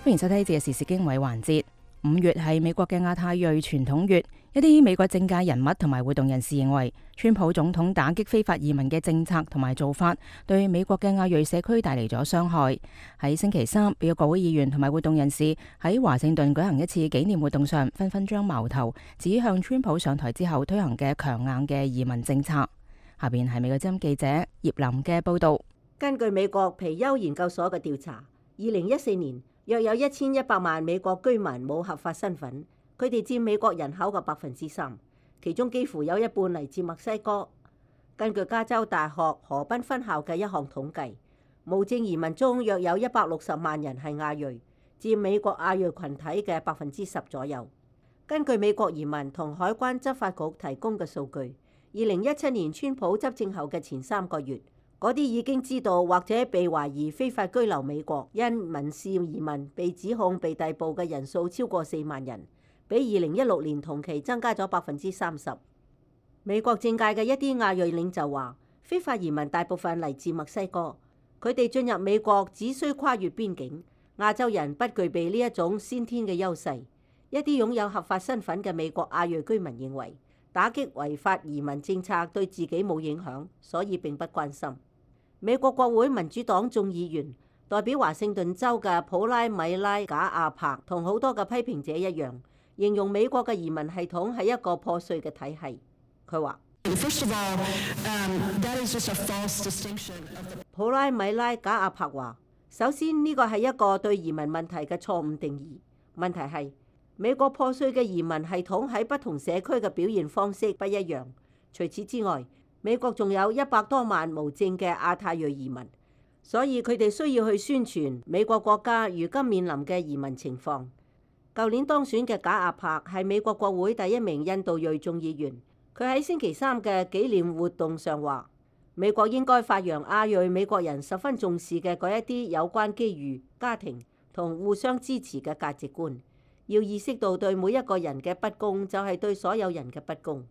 [SPEAKER 3] 歡迎收睇呢節嘅時事經緯環節。5月係美國嘅亞太裔傳統月，一啲美國政界人物同埋活動人士認為，川普總統打擊非法移民嘅政策同埋做法，對美國嘅亞裔社區帶嚟咗傷害。喺星期三，美國國會議員同埋活動人士喺華盛頓舉行一次紀念活動上，紛紛將矛頭指向川普上台之後推行嘅強硬嘅移民政策。下邊係美國之音記者葉林嘅報道。
[SPEAKER 7] 根據美國皮尤研究所嘅調查，2014年約有1100萬美國居民冇合法身份，佢哋佔美國人口嘅3%，其中幾乎有一半嚟自墨西哥。根據加州大學河濱分校嘅一項統計，無證移民中約有160萬人係亞裔，佔美國亞裔群體嘅10%左右。根據美國移民同海關執法局提供嘅數據，2017年川普執政後嘅前3個月，嗰啲已經知道或者被懷疑非法居留美國因民事移民被指控被逮捕嘅人數超過4萬人，比2016年同期增加咗30%。美國政界嘅一啲亞裔領袖話，非法移民大部分嚟自墨西哥，佢哋進入美國只需跨越邊境，亞洲人不具備呢一種先天嘅優勢。一啲擁有合法身份嘅美國亞裔居民認為，打擊違法移民政策對自己冇影響，所以並不關心。美國國會民主黨眾議員代表華盛頓州嘅普拉米拉賈亞柏同好多嘅批評者一樣，形容美國嘅移民系統係一個破碎嘅體系。佢話：普拉米拉賈亞柏話，首先呢個係一個對移民問題嘅錯誤定義。問題係美國破碎嘅移民系統喺不同社區嘅表現方式不一樣。除此之外，美國仲有100多萬無證嘅亞太裔移民，所以佢哋需要去宣傳美國國家如今面臨嘅移民情況。舊年當選嘅賈亞柏係美國國會第1名印度裔眾議員，佢喺星期三嘅紀念活動上話，美國應該發揚亞裔美國人十分重視嘅嗰一啲有關機遇、家庭同互相支持嘅價值觀。要意識到對每一個人嘅不公就係對所有人嘅不公。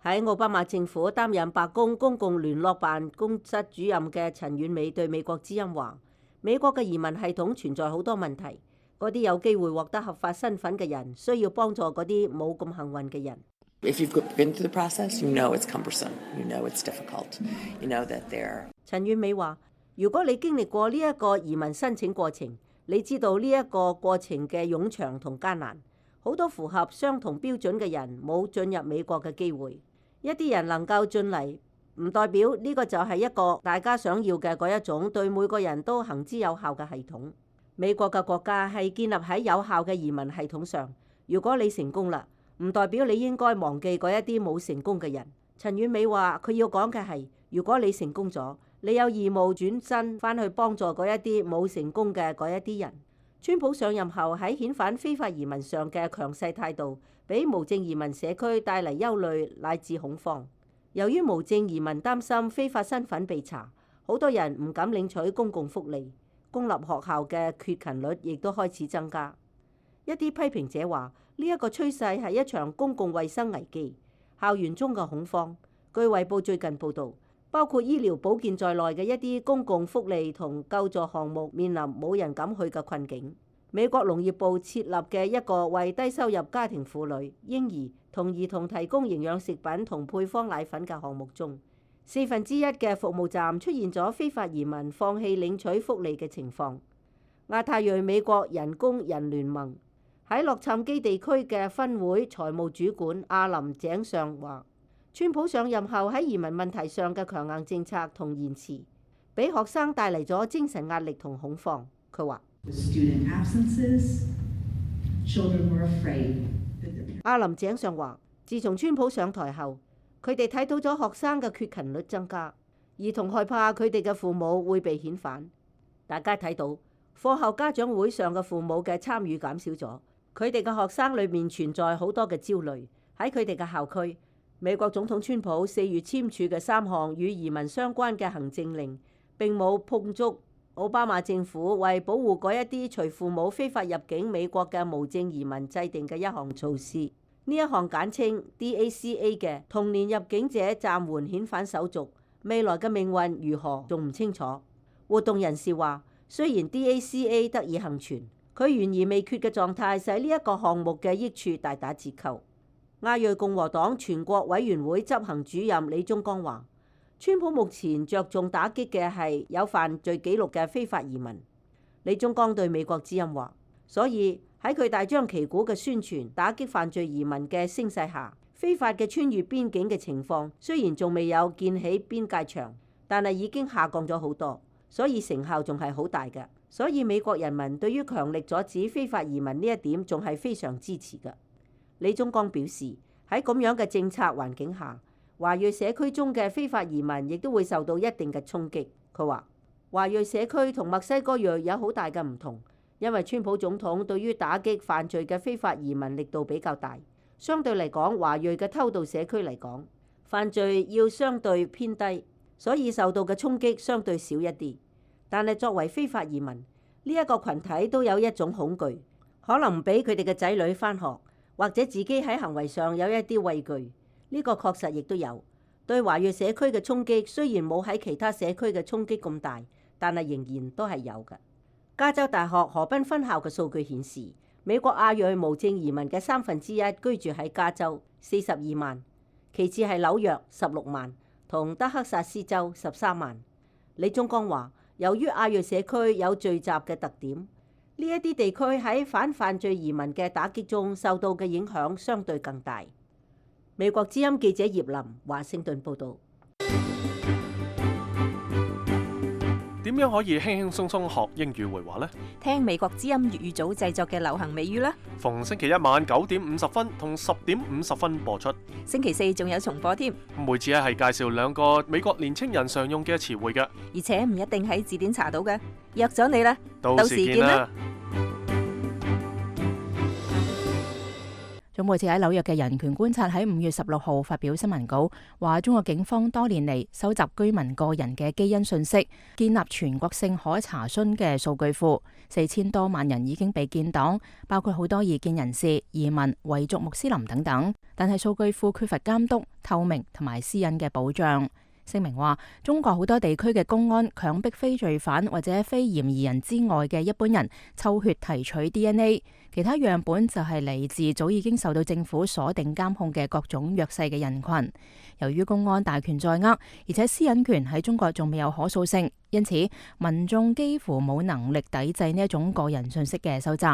[SPEAKER 7] 喺奧巴馬政府擔任白宮公共聯絡辦公室主任嘅陳婉美對美國之音話，美國嘅移民系統存在好多問題，嗰啲有機會獲得合法身份嘅人需要幫助嗰啲冇咁幸運嘅人。陳婉美話，如果你經歷過呢一個移民申請過程，你知道呢一個過程嘅冗長同艱難，好多符合相同標準嘅人冇進入美國嘅機會。一啲人能夠進嚟，唔代表呢個就係一個大家想要嘅嗰一種對每個人都行之有效嘅系統。美國嘅國家係建立喺有效嘅移民系統上。如果你成功啦，唔代表你應該忘記嗰一啲冇成功嘅人。陳婉美話，佢要講嘅係，如果你成功咗，你有義務轉身返去幫助嗰一啲冇成功嘅嗰一啲人。川普上任後喺遣返非法移民上嘅強勢態度，俾無證移民社區帶嚟憂慮乃至恐慌。由於無證移民擔心非法身份被查，好多人唔敢領取公共福利，公立學校嘅缺勤率亦都開始增加。一啲批評者話，呢一個趨勢係一場公共衛生危機，校園中嘅恐慌。據衛報最近報導，包括醫療保健在內嘅一啲公共福利同救助項目面臨冇人敢去嘅困境。美國農業部設立嘅一個為低收入家庭婦女、嬰兒同兒童提供營養食品同配方奶粉嘅項目中1/4嘅服務站出現咗非法移民放棄領取福利嘅情況。亞太裔美國人工人聯盟喺洛杉磯地區嘅分會財務主管阿林井上話，川普上任後喺移民問題上嘅強硬政策同言辭，俾學生帶嚟咗精神壓力同恐慌。佢話阿林井上話，自從川普上台後，佢哋睇到咗學生嘅缺勤率增加，兒童害怕佢哋嘅父母會被遣返。大家睇到課後家長會上嘅父母嘅參與減少咗，佢哋嘅學生裏面存在好多嘅焦慮。喺佢哋嘅校區，美國總統川普4月簽署嘅3項與移民相關嘅行政令並冇碰觸奧巴馬政府為保護嗰一啲隨父母非法入境美國嘅無證移民制定嘅一項措施。呢一項簡稱 DACA 嘅童年入境者暫緩遣返手續，未來嘅命運如何仲唔清楚。活動人士話，雖然 DACA 得以幸存，佢懸而未決嘅狀態使呢一個項目嘅益處大打折扣。亞裔共和黨全國委員會執行主任李宗剛話，川普目前着重打擊嘅係有犯罪記錄嘅非法移民。李宗剛對美國之音話，所以喺佢大張旗鼓嘅宣傳打擊犯罪移民嘅聲勢下，非法嘅穿越邊境嘅情況雖然仲未有建起邊界牆，但係已經下降咗好多，所以成效仲係好大嘅。所以美國人民對於強力阻止非法移民呢一點仲係非常支持嘅。李宗剛表示，喺咁樣嘅政策環境下，華裔社區中嘅非法移民亦都會受到一定嘅衝擊。佢話，華裔社區同墨西哥裔有好大嘅唔同，因為川普總統對於打擊犯罪嘅非法移民力度比較大，相對嚟講，華裔嘅偷渡社區嚟講，犯罪要相對偏低，所以受到嘅衝擊相對少一啲。但係作為非法移民，呢一個群體都有一種恐懼，可能唔俾佢哋嘅仔女返學，或者自己喺行為上有一啲畏懼。呢個確實亦都有對華裔社區嘅衝擊，雖然冇喺其他社區嘅衝擊咁大，但係仍然都係有嘅。加州大學河濱分校嘅數據顯示，美國亞裔無證移民嘅1/3居住喺加州42萬，其次係紐約16萬，同德克薩斯州13萬。李宗剛話，由於亞裔社區有聚集嘅特點，呢一啲地區喺反犯罪移民嘅打擊中受到嘅影響相對更大。美國之音記者葉林華盛頓報導。
[SPEAKER 2] 點樣可以輕輕鬆鬆學英語會話呢？
[SPEAKER 3] 聽美國之音粵語組製作嘅流行美語啦。
[SPEAKER 2] 逢星期一晚9點50分同10點50分播出。
[SPEAKER 3] 星期四仲有重播添。
[SPEAKER 2] 每次係介紹2個美國年青人常用嘅詞彙嘅，
[SPEAKER 3] 而且唔一定喺字典查到嘅。約咗你啦，
[SPEAKER 2] 到時見啦。
[SPEAKER 3] 總部設喺紐約嘅人權觀察喺5月16號發表新聞稿，話中國警方多年嚟收集居民個人嘅基因信息，建立全國性可查詢嘅數據庫，4000多萬人已經被建檔，包括好多異見人士、移民、維族穆斯林等等。但係數據庫缺乏監督、透明同埋私隱嘅保障。聲明話，中國好多地區嘅公安強迫非罪犯或者非嫌疑人之外嘅一般人抽血提取 DNA， 其他樣本就係嚟自早已經受到政府鎖定監控嘅各種弱勢嘅人群。由於公安大權在握，而且私隱權喺中國仲未有可塑性，因此民眾幾乎冇能力抵制呢一種個人信息嘅收集。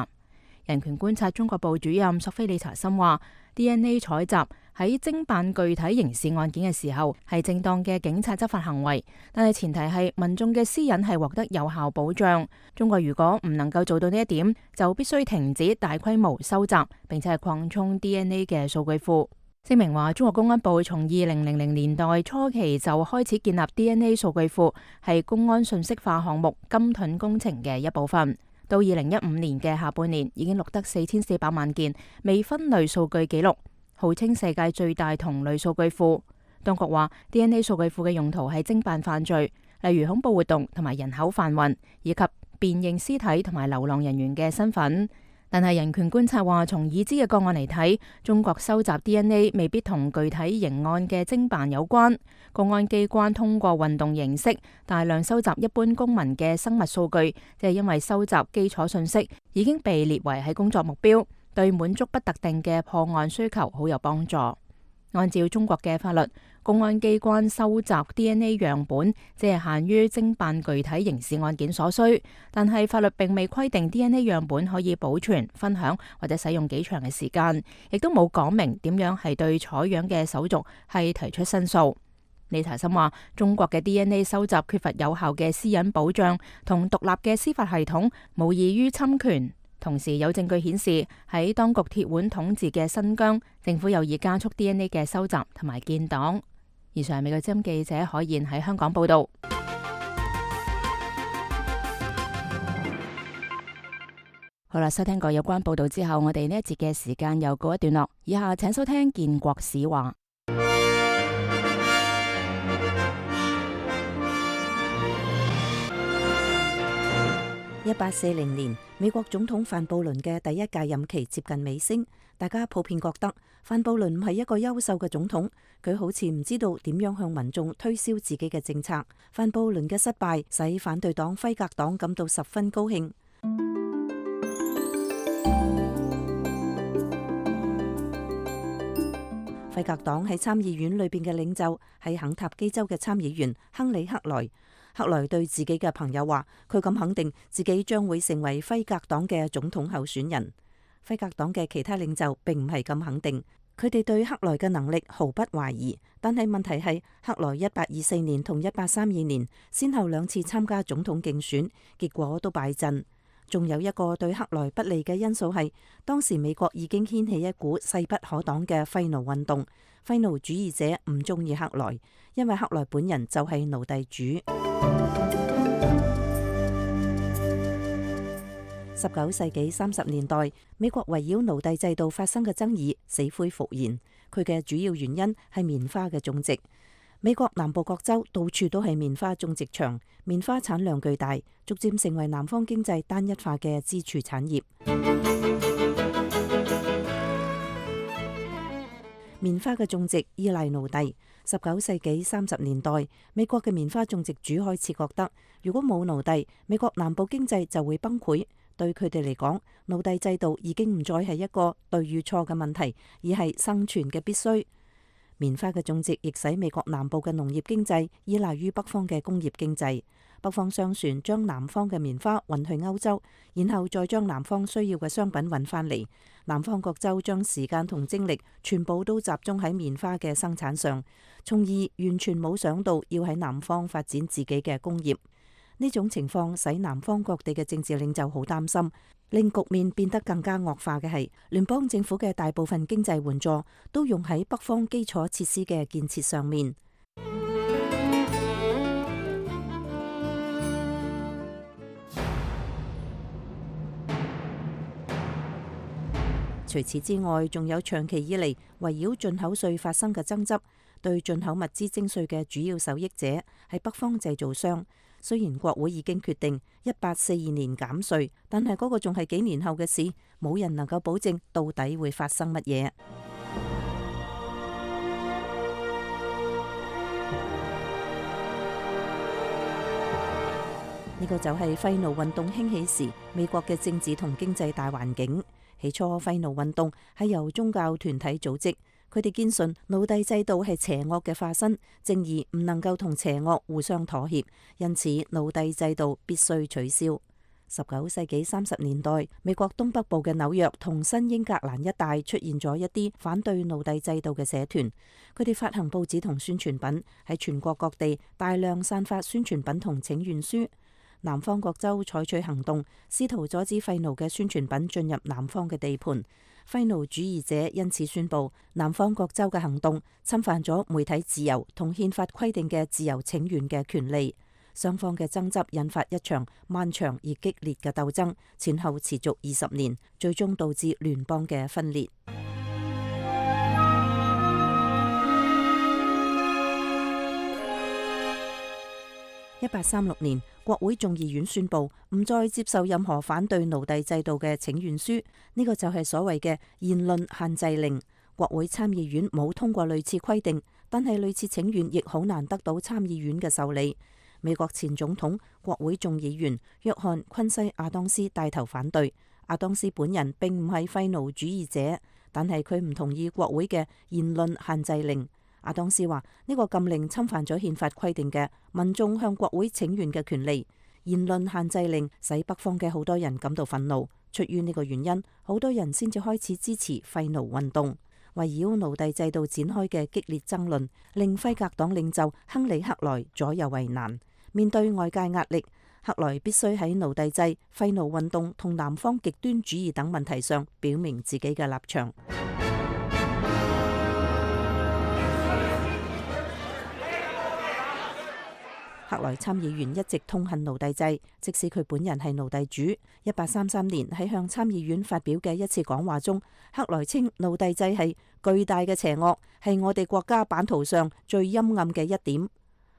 [SPEAKER 3] 人權觀察中國部主任索菲里查森話， DNA 採集喺偵辦具體刑事案件嘅時候係正當嘅警察執法行為，但係前提係民眾嘅私隱係獲得有效保障。中國如果唔能夠做到呢一點，就必須停止大規模收集並且係擴充 DNA 嘅數據庫。聲明話，中國公安部從2000年代初期就開始建立 DNA 數據庫，係公安信息化項目金盾工程嘅一部分。到2015年嘅下半年，已經錄得4400萬件未分類數據記錄，號稱世界最大同類數據庫。當局話 DNA 數據庫嘅用途係偵辦犯罪，例如恐怖活動同埋人口販運，以及辨認屍體同埋流浪人員嘅身份。但係人權觀察話，從已知嘅個案嚟睇，中國收集 DNA 未必同具體刑案嘅偵辦有關。公安機關通過運動形式大量收集一般公民嘅生物數據，即係因為收集基礎信息已經被列為係工作目標，對滿足不特定嘅破案需求好有幫助。按照中國嘅法律，公安機關收集 DNA 樣本只係限於偵辦具體刑事案件所需，但係法律並未規定 DNA 樣本可以保存、分享或者使用幾長嘅時間，亦都冇講明點樣係對採樣嘅手續係提出申訴。李查森話：中國嘅 DNA 收集缺乏有效嘅私隱保障同獨立嘅司法系統，無異於侵權。同時有證據顯示，喺當局鐵腕統治嘅新疆，政府有意加速 DNA 嘅收集同埋建檔。以上係美國之音記者海燕喺香港報道。好啦，收聽過有關報道之後，我哋呢一節嘅時間又告一段落。以下請收聽建國史話。
[SPEAKER 6] 1840年，美國總統范布倫嘅第一屆任期接近尾聲，大家普遍覺得范布倫唔係一個優秀嘅總統，佢好似唔知道點樣向民眾推銷自己嘅政策。范布倫嘅失敗使反對黨輝格黨感到十分高興。輝格黨喺參議院裏邊嘅領袖係肯塔基州嘅參議員亨利克萊。克萊對自己嘅朋友話，佢咁肯定自己將會成為輝格黨嘅總統候選人。輝格黨嘅其他領袖並唔係咁肯定，佢哋對克萊嘅能力毫不懷疑。但係問題係，克萊1824年同1832年先後兩次參加總統競選，結果都敗陣。仲有一個對克萊不利嘅因素係，當時美國已經掀起一股勢不可擋嘅廢奴運動，廢奴主義者唔中意克萊，因為克萊本人就係奴隸主。19世紀30年代，美國圍繞奴隸制度發生嘅爭議死灰復燃，佢嘅主要原因係棉花嘅種植。美國南部各州到處都係棉花種植場，棉花產量巨大，逐漸成為南方經濟單一化嘅支柱產業。棉花嘅種植依賴奴隸。19世紀30年代，美國嘅棉花種植主開始覺得，如果冇奴隸，美國南部經濟就會崩潰。對佢哋嚟講，奴隸制度已經唔再係一個對與錯嘅問題，而係生存嘅必須。棉花嘅種植亦使美國南部嘅農業經濟依賴於北方嘅工業經濟。北方商船將南方嘅棉花運去歐洲，然後再將南方需要嘅商品運返嚟。南方各州將時間同精力全部都集中喺棉花嘅生產上，從而完全冇想到要喺南方發展自己嘅工業。呢種情況使南方各地嘅政治領袖好擔心，令局面變得更加惡化嘅係，聯邦政府嘅大部分經濟援助都用喺北方基礎設施嘅建設上面。除此之外，仲有長期以嚟圍繞進口稅發生嘅爭執，對進口物資徵稅嘅主要受益者係北方製造商。雖然國會已經決定1842年減稅，但係嗰個仲係幾年後嘅事，冇人能夠保證到底會發生乜嘢。呢個就係廢奴運動興起時美國嘅政治同經濟大環境。起初廢奴運動係由宗教團體組織。佢哋堅信奴隸制度係邪惡嘅化身，正義唔能夠同邪惡互相妥協，因此奴隸制度必須取消。19世紀30年代，美國東北部嘅紐約同新英格蘭一帶出現咗一啲反對奴隸制度嘅社團，佢哋發行報紙同宣傳品，喺全國各地大量散發宣傳品同請願書。南方各州採取行動，試圖阻止廢奴嘅宣傳品進入南方嘅地盤。廢奴主義者因此宣布，南方各州嘅行動侵犯咗媒體自由同憲法規定嘅自由請願嘅權利。雙方嘅爭執引發一場漫長而激烈嘅鬥爭，前後持續20年，最終導致聯邦嘅分裂。1836年，國會眾議院宣布唔再接受任何反對奴隸制度嘅請願書，呢個就係所謂嘅言論限制令。國會參議院冇通過類似規定，但係類似請願亦好難得到參議院嘅受理。美國前總統、國會眾議員約翰昆西亞當斯帶頭反對。亞當斯本人並唔係廢奴主義者，但係佢唔同意國會嘅言論限制令。亞當斯話呢個禁令侵犯咗憲法規定嘅民眾向國會請願嘅權利。言論限制令使北方嘅好多人感到憤怒，出於呢個原因，好多人先至開始支持廢奴運動。圍繞奴隸制度展開嘅激烈爭論，令輝格黨領袖亨利·克萊左右為難。面對外界壓力，克萊必須喺奴隸制、廢奴運動同南方極端主義等問題上表明自己嘅立場。克萊參議員一直痛恨奴隸制，即使佢本人係奴隸主。1833年喺向參議院發表嘅一次講話中，克萊稱奴隸制係巨大嘅邪惡，係我哋國家版圖上最陰暗嘅一點。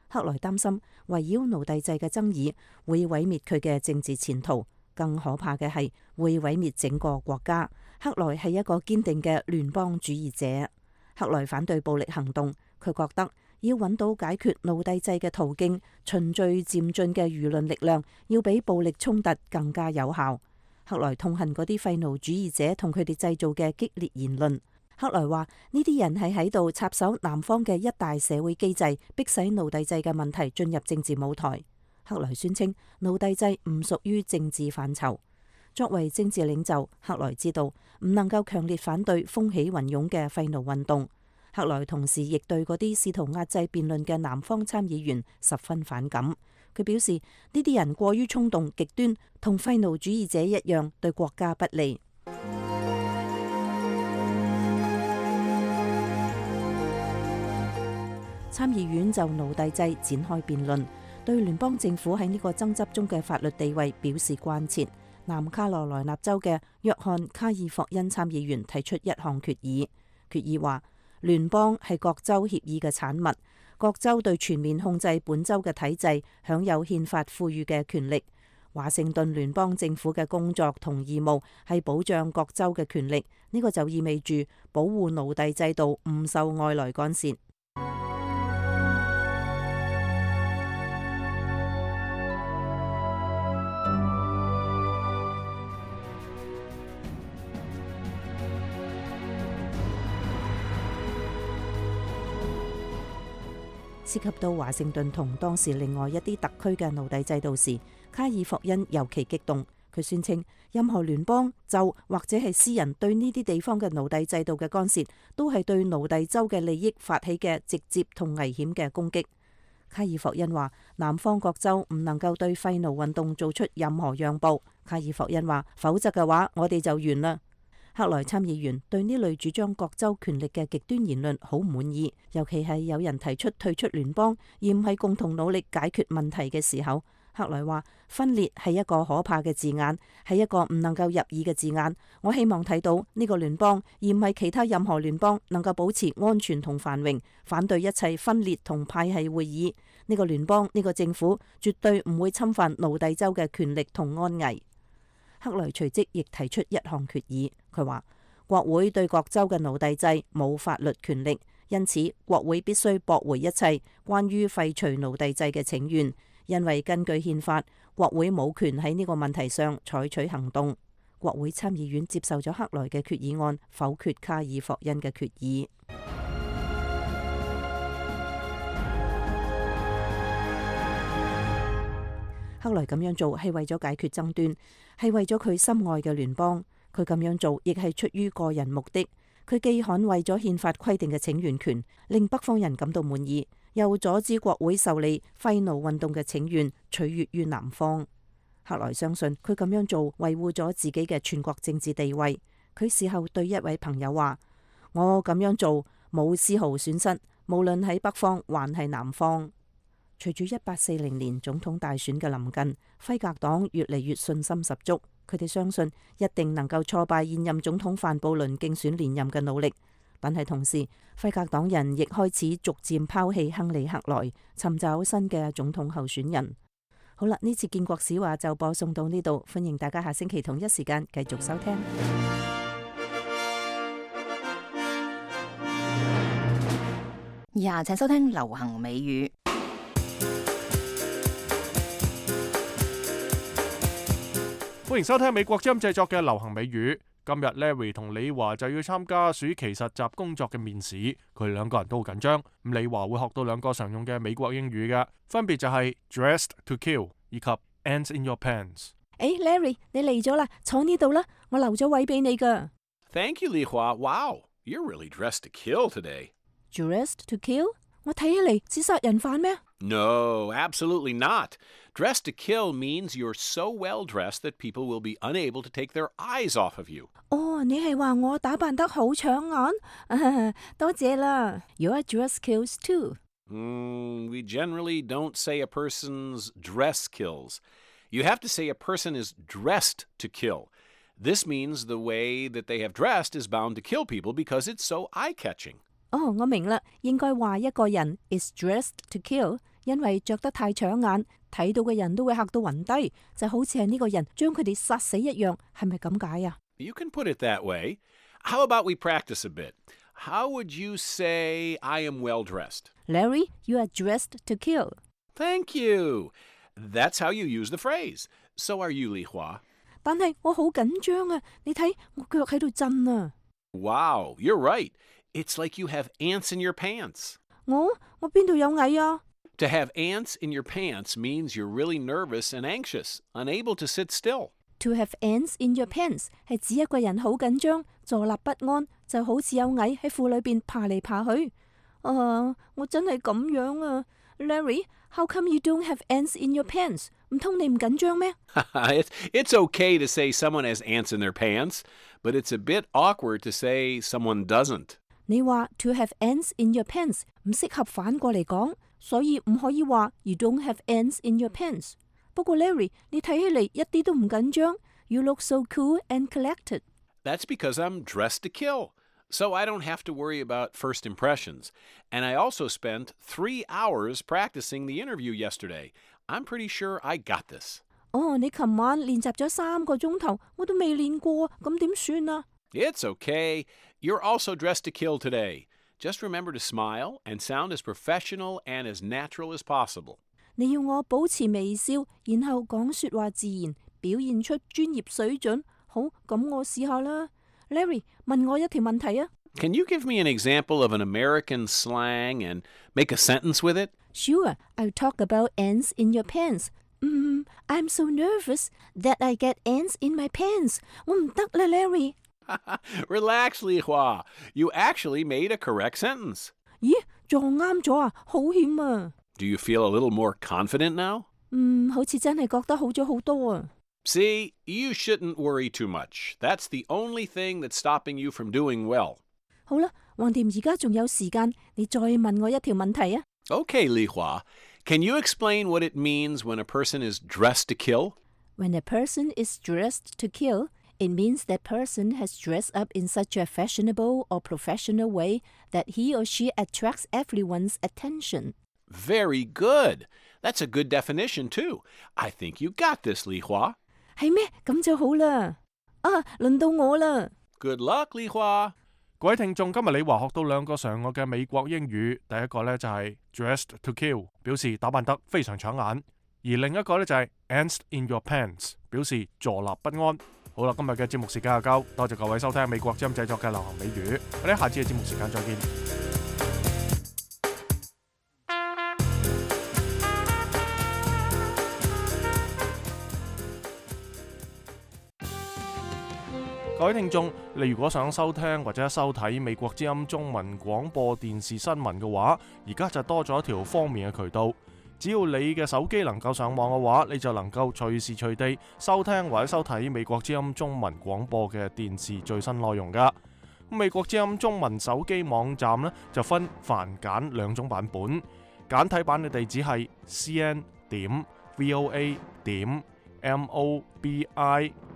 [SPEAKER 6] 克萊擔心圍繞奴隸制嘅爭議會毀滅佢嘅政治前途，更可怕嘅係會毀滅整個國家。克萊係一個堅定嘅聯邦主義者。克萊反對暴力行動，佢覺得要揾到解決奴隸制嘅途徑，循序漸進嘅輿論力量要比暴力衝突更加有效。克萊痛恨嗰啲廢奴主義者同佢哋製造嘅激烈言論。克萊話呢啲人係喺度插手南方嘅一大社會機制，迫使奴隸制嘅問題進入政治舞台。克萊宣稱奴隸制唔屬於政治範疇。作為政治領袖，克萊知道唔能夠強烈反對風起雲湧嘅廢奴運動。克萊同時亦對嗰啲試圖壓制辯論嘅南方參議員十分反感。佢表示呢啲人過於衝動極端，同廢奴主義者一樣，對國家不利。參議院就奴隸制展開辯論，對聯邦政府喺呢個爭執中嘅法律地位表示關切。南卡羅來納州嘅約翰·卡爾霍恩參議員提出一項決議，決議話聯邦係各州協議嘅產物，各州對全面控制本州嘅體制享有憲法賦予嘅權力。華盛頓聯邦政府嘅工作同義務係保障各州嘅權力，呢個就意味住保護奴隸制度唔受外來干涉。涉及到華盛頓同當時另外一啲特區嘅奴隸制度時，卡爾霍恩尤其激動。佢宣稱任何聯邦、州或者係私人對呢啲地方嘅奴隸制度嘅干涉，都係對奴隸州嘅利益發起嘅直接同危險嘅攻擊。卡爾霍恩話南方各州唔能夠對廢奴運動做出任何讓步。卡爾霍恩話否則嘅話我哋就完啦。克萊參議員對呢類主張各州權力嘅極端言論好唔滿意，尤其係有人提出退出聯邦而唔係共同努力解決問題嘅時候。克萊話分裂係一個可怕嘅字眼，係一個唔能夠入耳嘅字眼。我希望睇到呢個聯邦而唔係其他任何聯邦能夠保持安全同繁榮，反對一切分裂同派系會議。呢個聯邦，呢個政府絕對唔會侵犯奴隸州嘅權力同安危。克萊隨即亦提出一項決議，佢話國會對各州嘅奴隸制冇法律權力，因此國會必須駁回一切關於廢除奴隸制嘅請願，因為根據憲法，國會冇權喺呢個問題上採取行動。國會參議院接受咗克萊嘅決議案，否決卡爾霍恩嘅決議。克萊咁樣做係為咗解決爭端，係為咗佢心愛嘅聯邦。佢咁樣做亦係出於個人目的。佢既捍衛咗憲法規定嘅請願權，令北方人感到滿意，又阻止國會受理廢奴運動嘅請願，取悅於南方。克萊相信佢咁樣做維護咗自己嘅全國政治地位。佢事後對一位朋友話：我咁樣做冇絲毫損失，無論喺北方還係南方。隨住1840年總統大選嘅臨近，輝格黨越嚟越信心十足。佢哋相信一定能夠挫敗現任總統范布倫競選連任嘅努力。但係同時，輝格黨人亦開始逐漸拋棄亨利·克萊，尋找新嘅總統候選人。好啦，呢次建國史話就播送到呢度，歡迎大家下星期同一時間繼續收聽。
[SPEAKER 3] 以下請收聽流行美語。
[SPEAKER 2] 歡迎收聽美國之音製作嘅流行美語。今日 Larry 同李華就要參加暑期實習工作嘅面試，佢哋兩個人都好緊張。咁李華會學到兩個常用嘅美國英語嘅，分別就係 dressed to kill 以及 ants in your pants。Larry，
[SPEAKER 6] 你嚟咗啦，坐呢度啦，我留咗位俾你噶。
[SPEAKER 11] Thank you, Li Hua. Wow, you're really dressed to kill today.
[SPEAKER 6] Dressed to kill？ 我睇起嚟似殺人犯咩？
[SPEAKER 11] No, absolutely not. Dressed to kill means you're so well dressed that people will be unable to take their eyes off of you.
[SPEAKER 6] 你係話我打扮得好搶眼？多謝啦。Your dress kills too.
[SPEAKER 11] We generally don't say a person's dress kills. You have to say a person is dressed to kill. This means the way that they have dressed is bound to kill people because it's so eye-catching.
[SPEAKER 6] 我明啦，應該話一個人 is dressed to kill， 因為着得太搶眼，睇到嘅人都會嚇到暈低，就好似係呢個人將佢哋殺死一樣，係咪咁解啊？
[SPEAKER 11] You can put it that way. How about we practice a bit? How would you say I am well dressed?
[SPEAKER 6] Larry, you are dressed to kill.
[SPEAKER 11] Thank you. That's how you use the phrase. So are you, Li Hua.
[SPEAKER 6] 但係我好緊張啊！你睇我腳喺度震啊！
[SPEAKER 11] Wow, you're right. It's like you have ants in your pants.
[SPEAKER 6] 我邊度有蟻啊？
[SPEAKER 11] To have ants in your pants means you're really nervous and anxious, unable to sit still.
[SPEAKER 6] To have ants in your pants 係指一個人好緊張，坐立不安，就好似有蟻喺褲裏邊爬嚟爬去。我真係咁樣啊 ，Larry, how come you don't have ants in your pants? 唔通你唔緊張咩？
[SPEAKER 11] It's okay to say someone has ants in their pants, but it's a bit awkward to say someone doesn't.
[SPEAKER 6] 你話 to have ants in your pants 唔適合反過嚟講，所以唔可以話 you don't have ants in your pants。不過 Larry， 你睇起嚟一啲都唔緊張。You look so cool and collected.
[SPEAKER 11] That's because I'm dressed to kill, so I don't have to worry about first impressions. And I also spent 3 hours practicing the interview yesterday. I'm pretty sure I got this.
[SPEAKER 6] 你琴晚練習咗3個鐘頭，我都未練過，咁點算啊？
[SPEAKER 11] It's okay. You're also dressed to kill today. Just remember to smile and sound as professional and as natural as possible.
[SPEAKER 6] 你要我保持微笑，然後講說話自然，表現出專業水準。好，咁我試下啦。Larry， 問我一條問題啊。
[SPEAKER 11] Can you give me an example of an American slang and make a sentence with it?
[SPEAKER 6] Sure, I'll talk about ants in your pants. I'm so nervous that I get ants in my pants. 我唔得啦 ，Larry。Relax,
[SPEAKER 11] Li Hua. You actually made a correct sentence.
[SPEAKER 6] 咦，撞啱咗啊，好險啊！
[SPEAKER 11] Do you feel a little more confident now?
[SPEAKER 6] 好似真係覺得好咗好多啊。
[SPEAKER 11] See, you shouldn't worry too much. That's the only thing that's stopping you from doing well.
[SPEAKER 6] 好啦，橫掂而家仲有時間，你再問我一條問題啊。
[SPEAKER 11] Okay, Li Hua. Can you explain what it means when a person is dressed to kill?
[SPEAKER 6] When a person is dressed to kill, it means that person has dressed up in such a fashionable or professional way that he or she attracts everyone's attention.
[SPEAKER 11] Very good. That's a good definition, too. I think you got this, Li Hua.
[SPEAKER 6] 係咩？咁就好啦。輪到我啦。
[SPEAKER 11] Good luck, Li Hua.
[SPEAKER 2] 各位聽眾，今日李華學到2個常用嘅美國英語，第一個呢就係 dressed to kill， 表示打扮得非常搶眼；而另一個呢就係 ants in your pants， 表示坐立不安。好啦，今日嘅節目時間就夠，多謝各位收聽美國之音製作嘅流行美語，我哋下次嘅節目時間再見。各位聽眾，你如果想收聽或者收睇美國之音中文廣播電視新聞嘅話，而家就多咗一條方便嘅渠道。只要你嘅手機能夠上網嘅話，你就能夠隨時隨地收聽或者收睇美國之音中文廣播嘅電視最新內容㗎。美國之音中文手機網站呢，就分繁簡2種版本，簡體版嘅地址係 cn.voa.mobi，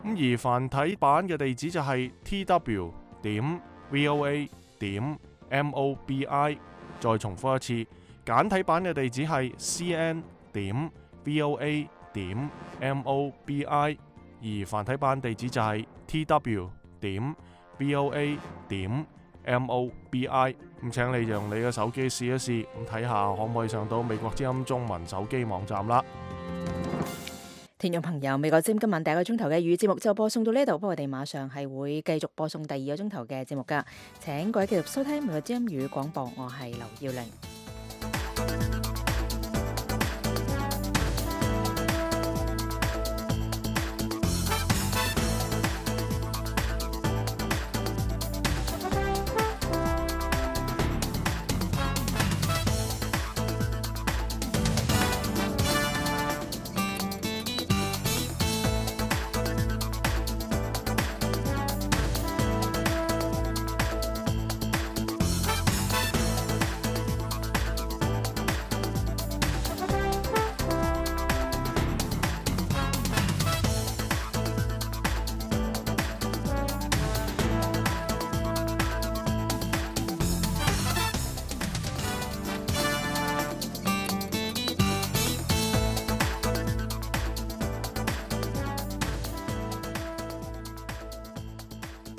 [SPEAKER 2] 而繁體版嘅地址就係 tw.voa.mobi。 再重複一次，簡體版嘅地址係 cn.voa.mobi， 而繁體版地址就係 tw.voa.mobi。 咁請你用你嘅手機試一試，咁睇下可唔可以上到美國之音中文手機網站啦。
[SPEAKER 3] 聽眾朋友，美國之音今晚第一個鐘頭嘅粵語節目就播送到呢度，不過我哋馬上係會繼續播送第二個鐘頭嘅節目㗎。請各位繼續收聽美國之音粵語廣播，我係劉耀玲。